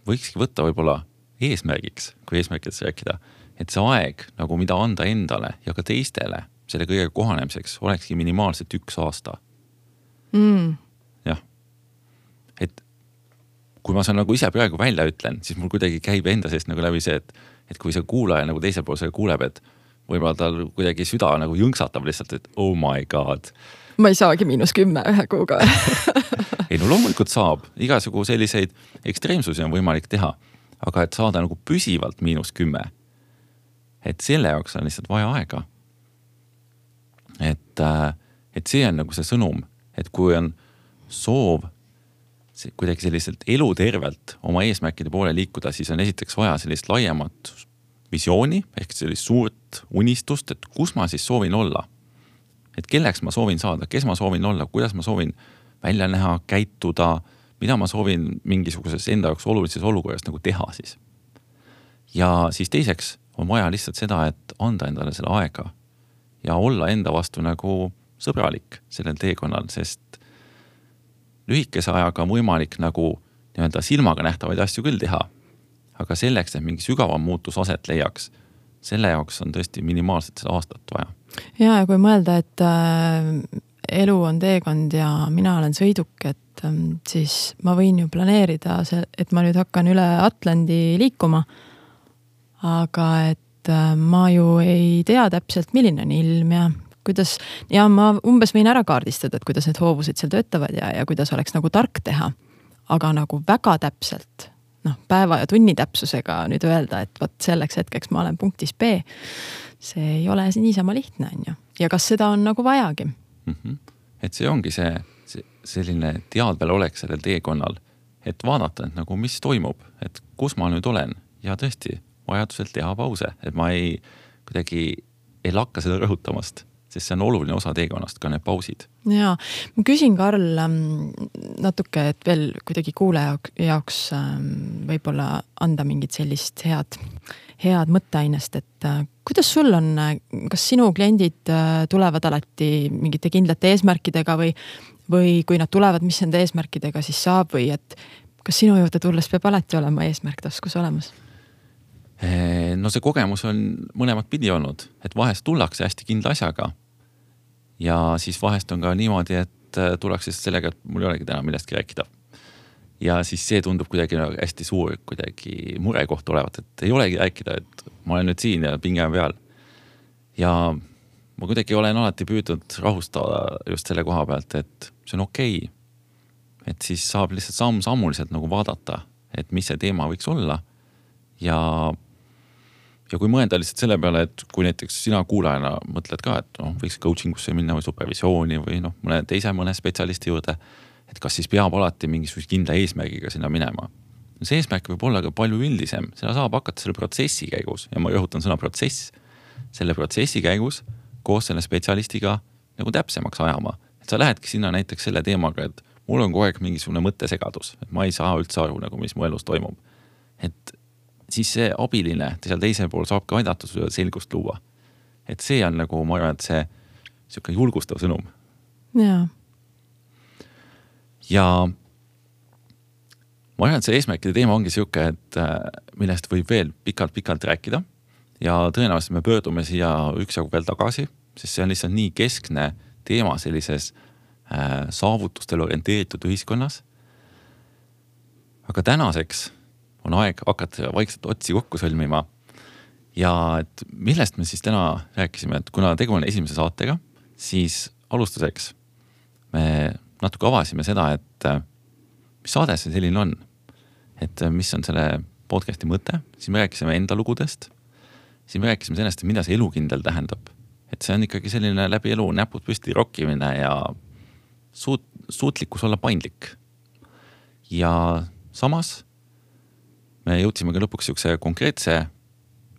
võikski võtta võib-olla eesmärgiks, kui eesmärgiks rääkida, et see aeg, nagu mida anda endale ja ka teistele selle kõige kohanemiseks, olekski minimaalselt üks aasta. Mm. Jah. Et kui ma saan nagu ise praegu välja ütlen, siis mul kuidagi käib enda seest nagu läbi see, et, et kui see kuulaja nagu teisel pool selle kuuleb, et võib-olla tal kuidagi süda nagu jõngsatab lihtsalt, et oh my god. Ma ei saagi miinus kümme ühe kuuga. Ei, no loomulikult saab. Igasugu selliseid ekstreemsusi on võimalik teha, aga et saada nagu püsivalt miinus kümme, et selle jaoks on lihtsalt vaja aega. Et, et see on nagu see sõnum, et kui on soov kuidagi selliselt elutervelt oma eesmärkide poole liikuda, siis on esiteks vaja sellist laiemat visiooni, ehk sellist suurt unistust, et kus ma siis soovin olla. Et kelleks ma soovin saada, kes ma soovin olla, kuidas ma soovin välja näha, käituda, mida ma soovin mingisuguses enda jaoks olulises olukorras nagu teha siis. Ja siis teiseks on vaja lihtsalt seda, et anda endale selle aega ja olla enda vastu nagu sõbralik sellel teekonnal, sest lühikese ajaga on võimalik nagu nii-öelda silmaga nähtavaid asju küll teha, aga selleks, et mingi sügavam muutus aset leiaks, selle jaoks on tõesti minimaalselt seda aastat vaja. Ja, ja kui mõelda, et äh, elu on teekond ja mina olen sõiduk, et äh, siis ma võin ju planeerida, et ma nüüd hakkan üle Atlandi liikuma, aga et äh, ma ju ei tea täpselt, milline on ilm ja kuidas, ja ma umbes võin ära kaardistada, et kuidas need hoovused seal töötavad ja, ja kuidas oleks nagu tark teha. Aga nagu väga täpselt, noh, päeva ja tunni täpsusega nüüd öelda, et võt selleks hetkeks ma olen punktis B, see ei ole niisama lihtne, on ju. Ja kas seda on nagu vajagi? Mm-hmm. Et see ongi see, see selline teadvel oleks sellel teekonnal, et vaadata, et nagu mis toimub, et kus ma nüüd olen ja tõesti vajaduselt teha pause, et ma ei kuidagi ei lakka seda rõhutamast, sest see on oluline osa teekonnast, ka need pausid. Jaa, ma küsin Karl natuke, et veel kuidagi kuulaja jaoks võib-olla anda mingit sellist head, head mõtteainest, et kuidas sul on, kas sinu kliendid tulevad alati mingite kindlate eesmärkidega või, või kui nad tulevad, mis nende eesmärkidega siis saab või et kas sinu juurde tulles peab alati olema eesmärktaskus olemas? No see kogemus on mõlemat pidi olnud, et vahest tullakse hästi kindla asjaga ja siis vahest on ka niimoodi, et tullakse sellega, et mul ei olegi täna millestki rääkida. Ja siis see tundub kuidagi hästi suur kuidagi murekoht olevat, et ei olegi rääkida, et ma olen nüüd siin ja pinge on peal. Ja ma kuidagi olen alati püüdnud rahustada just selle koha pealt, et see on okei. Et siis saab lihtsalt samm-sammuliselt nagu vaadata, et mis see teema võiks olla ja Ja kui mõelda lihtsalt selle peale, et kui näiteks sina kuulajana mõtled ka, et no, võiks coachingusse minna või supervisiooni või noh, mõne teise mõne spetsialisti juurde, et kas siis peab alati mingisuguse kindla eesmärgiga sinna minema. See eesmärk võib olla ka palju üldisem, seda saab hakata selle protsessi käigus ja ma rõhutan sõna protsess, selle protsessi käigus koos selle spetsialistiga nagu täpsemaks ajama. Et sa lähedki sinna näiteks selle teemaga, et mul on kogu aeg mingisugune mõttesegadus, et ma ei saa üldse aru, nagu mis mu elus toimub. Et siis see abiline seal teisel pool saab ka aidata sulle selgust luua. Et see on nagu, ma arvan, et see selline julgustav sõnum. Ja. Ja ma arvan, et see eesmärkide teema ongi selline, et millest võib veel pikalt-pikalt rääkida ja tõenäoliselt me pöördume siia üksjagu veel tagasi, sest see on lihtsalt nii keskne teema sellises äh, saavutustel orienteeritud ühiskonnas. Aga tänaseks on aeg hakata vaikselt otsi kokku sõlmima. Ja et millest me siis täna rääkisime, et kuna tegu on esimese saatega, siis alustuseks me natuke avasime seda, et mis saade see selline on, et mis on selle podcasti mõte, siis me rääkisime enda lugudest, siis me rääkisime sellest, mida see elukindel tähendab. Et see on ikkagi selline läbi elu näpud püsti rokkimine ja suut, suutlikkus olla paindlik. Ja samas me jõudsime ka lõpuks siukse konkreetse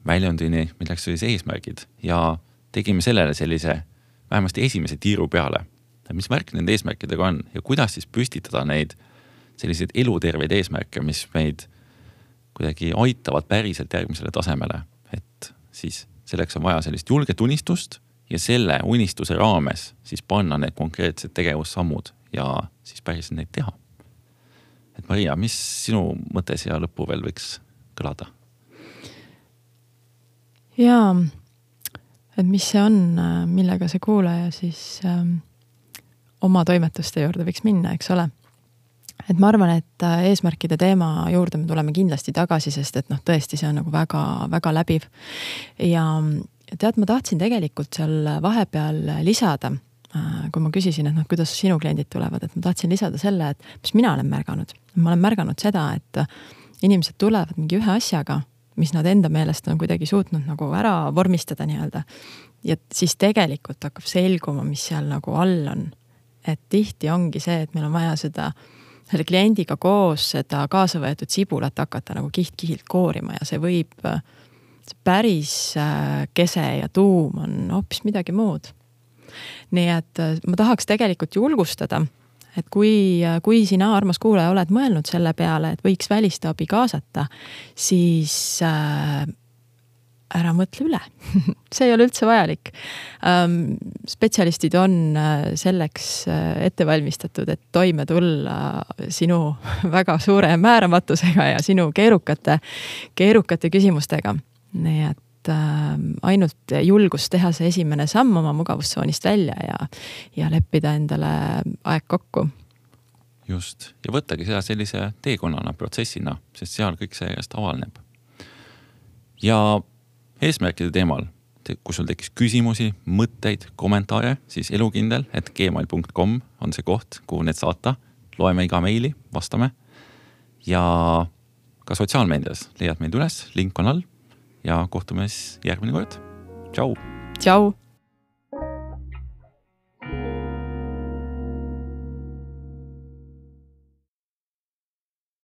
väljundini, milleks oli see eesmärgid ja tegime sellele sellise vähemasti esimese tiiru peale. Mis märk nende eesmärkidega on ja kuidas siis püstitada neid selliseid eluterveid eesmärke, mis meid kuidagi aitavad päriselt järgmisele tasemele. Et siis selleks on vaja sellist julget unistust ja selle unistuse raames siis panna need konkreetsed tegevussammud ja siis päriselt neid teha. Et Maria, mis sinu mõte siia lõppu veel võiks kõlada? Jaa, et mis see on, millega see kuulaja siis ähm, oma toimetuste juurde võiks minna, eks ole. Et ma arvan, et eesmärkide teema juurde me tuleme kindlasti tagasi, sest et noh, tõesti see on nagu väga, väga läbiv. Ja tead, ma tahtsin tegelikult seal vahepeal lisada, kui ma küsisin, et noh, kuidas sinu kliendid tulevad, et ma tahtsin lisada selle, et mis mina olen märganud. Ma olen märganud seda, et inimesed tulevad mingi ühe asjaga, mis nad enda meelest on kuidagi suutnud nagu ära vormistada nii-öelda. Ja siis tegelikult hakkab selguma, mis seal nagu all on. Et tihti ongi see, et meil on vaja seda selle kliendiga koos seda kaasa võetud sibulat hakata nagu kiht-kihilt koorima ja see võib, see päris kese ja tuum on hoopis midagi muud. Nii et ma tahaks tegelikult julgustada, et kui, kui sina, armas kuulaja, oled mõelnud selle peale, et võiks välistaabi kaasata, siis äh, ära mõtle üle. See ei ole üldse vajalik. Ähm, spetsialistid on selleks ettevalmistatud, et toime tulla sinu väga suure määramatusega ja sinu keerukate, keerukate küsimustega. Nii et ainult julgus teha see esimene samm oma mugavustsoonist välja ja, ja leppida endale aeg kokku. Just. Ja võttagi seda sellise teekonnana, protsessina, sest seal kõik see järjest avalneb. Ja eesmärkide teemal, kui sul tekkis küsimusi, mõtteid, kommentaare, siis elukindel et gmail punkt com on see koht, kuhu need saata. Loeme iga meili, vastame. Ja ka sotsiaalmeedias leiad meid üles, link on all. Ja kohtume järgmine kord. Tšau! Tšau!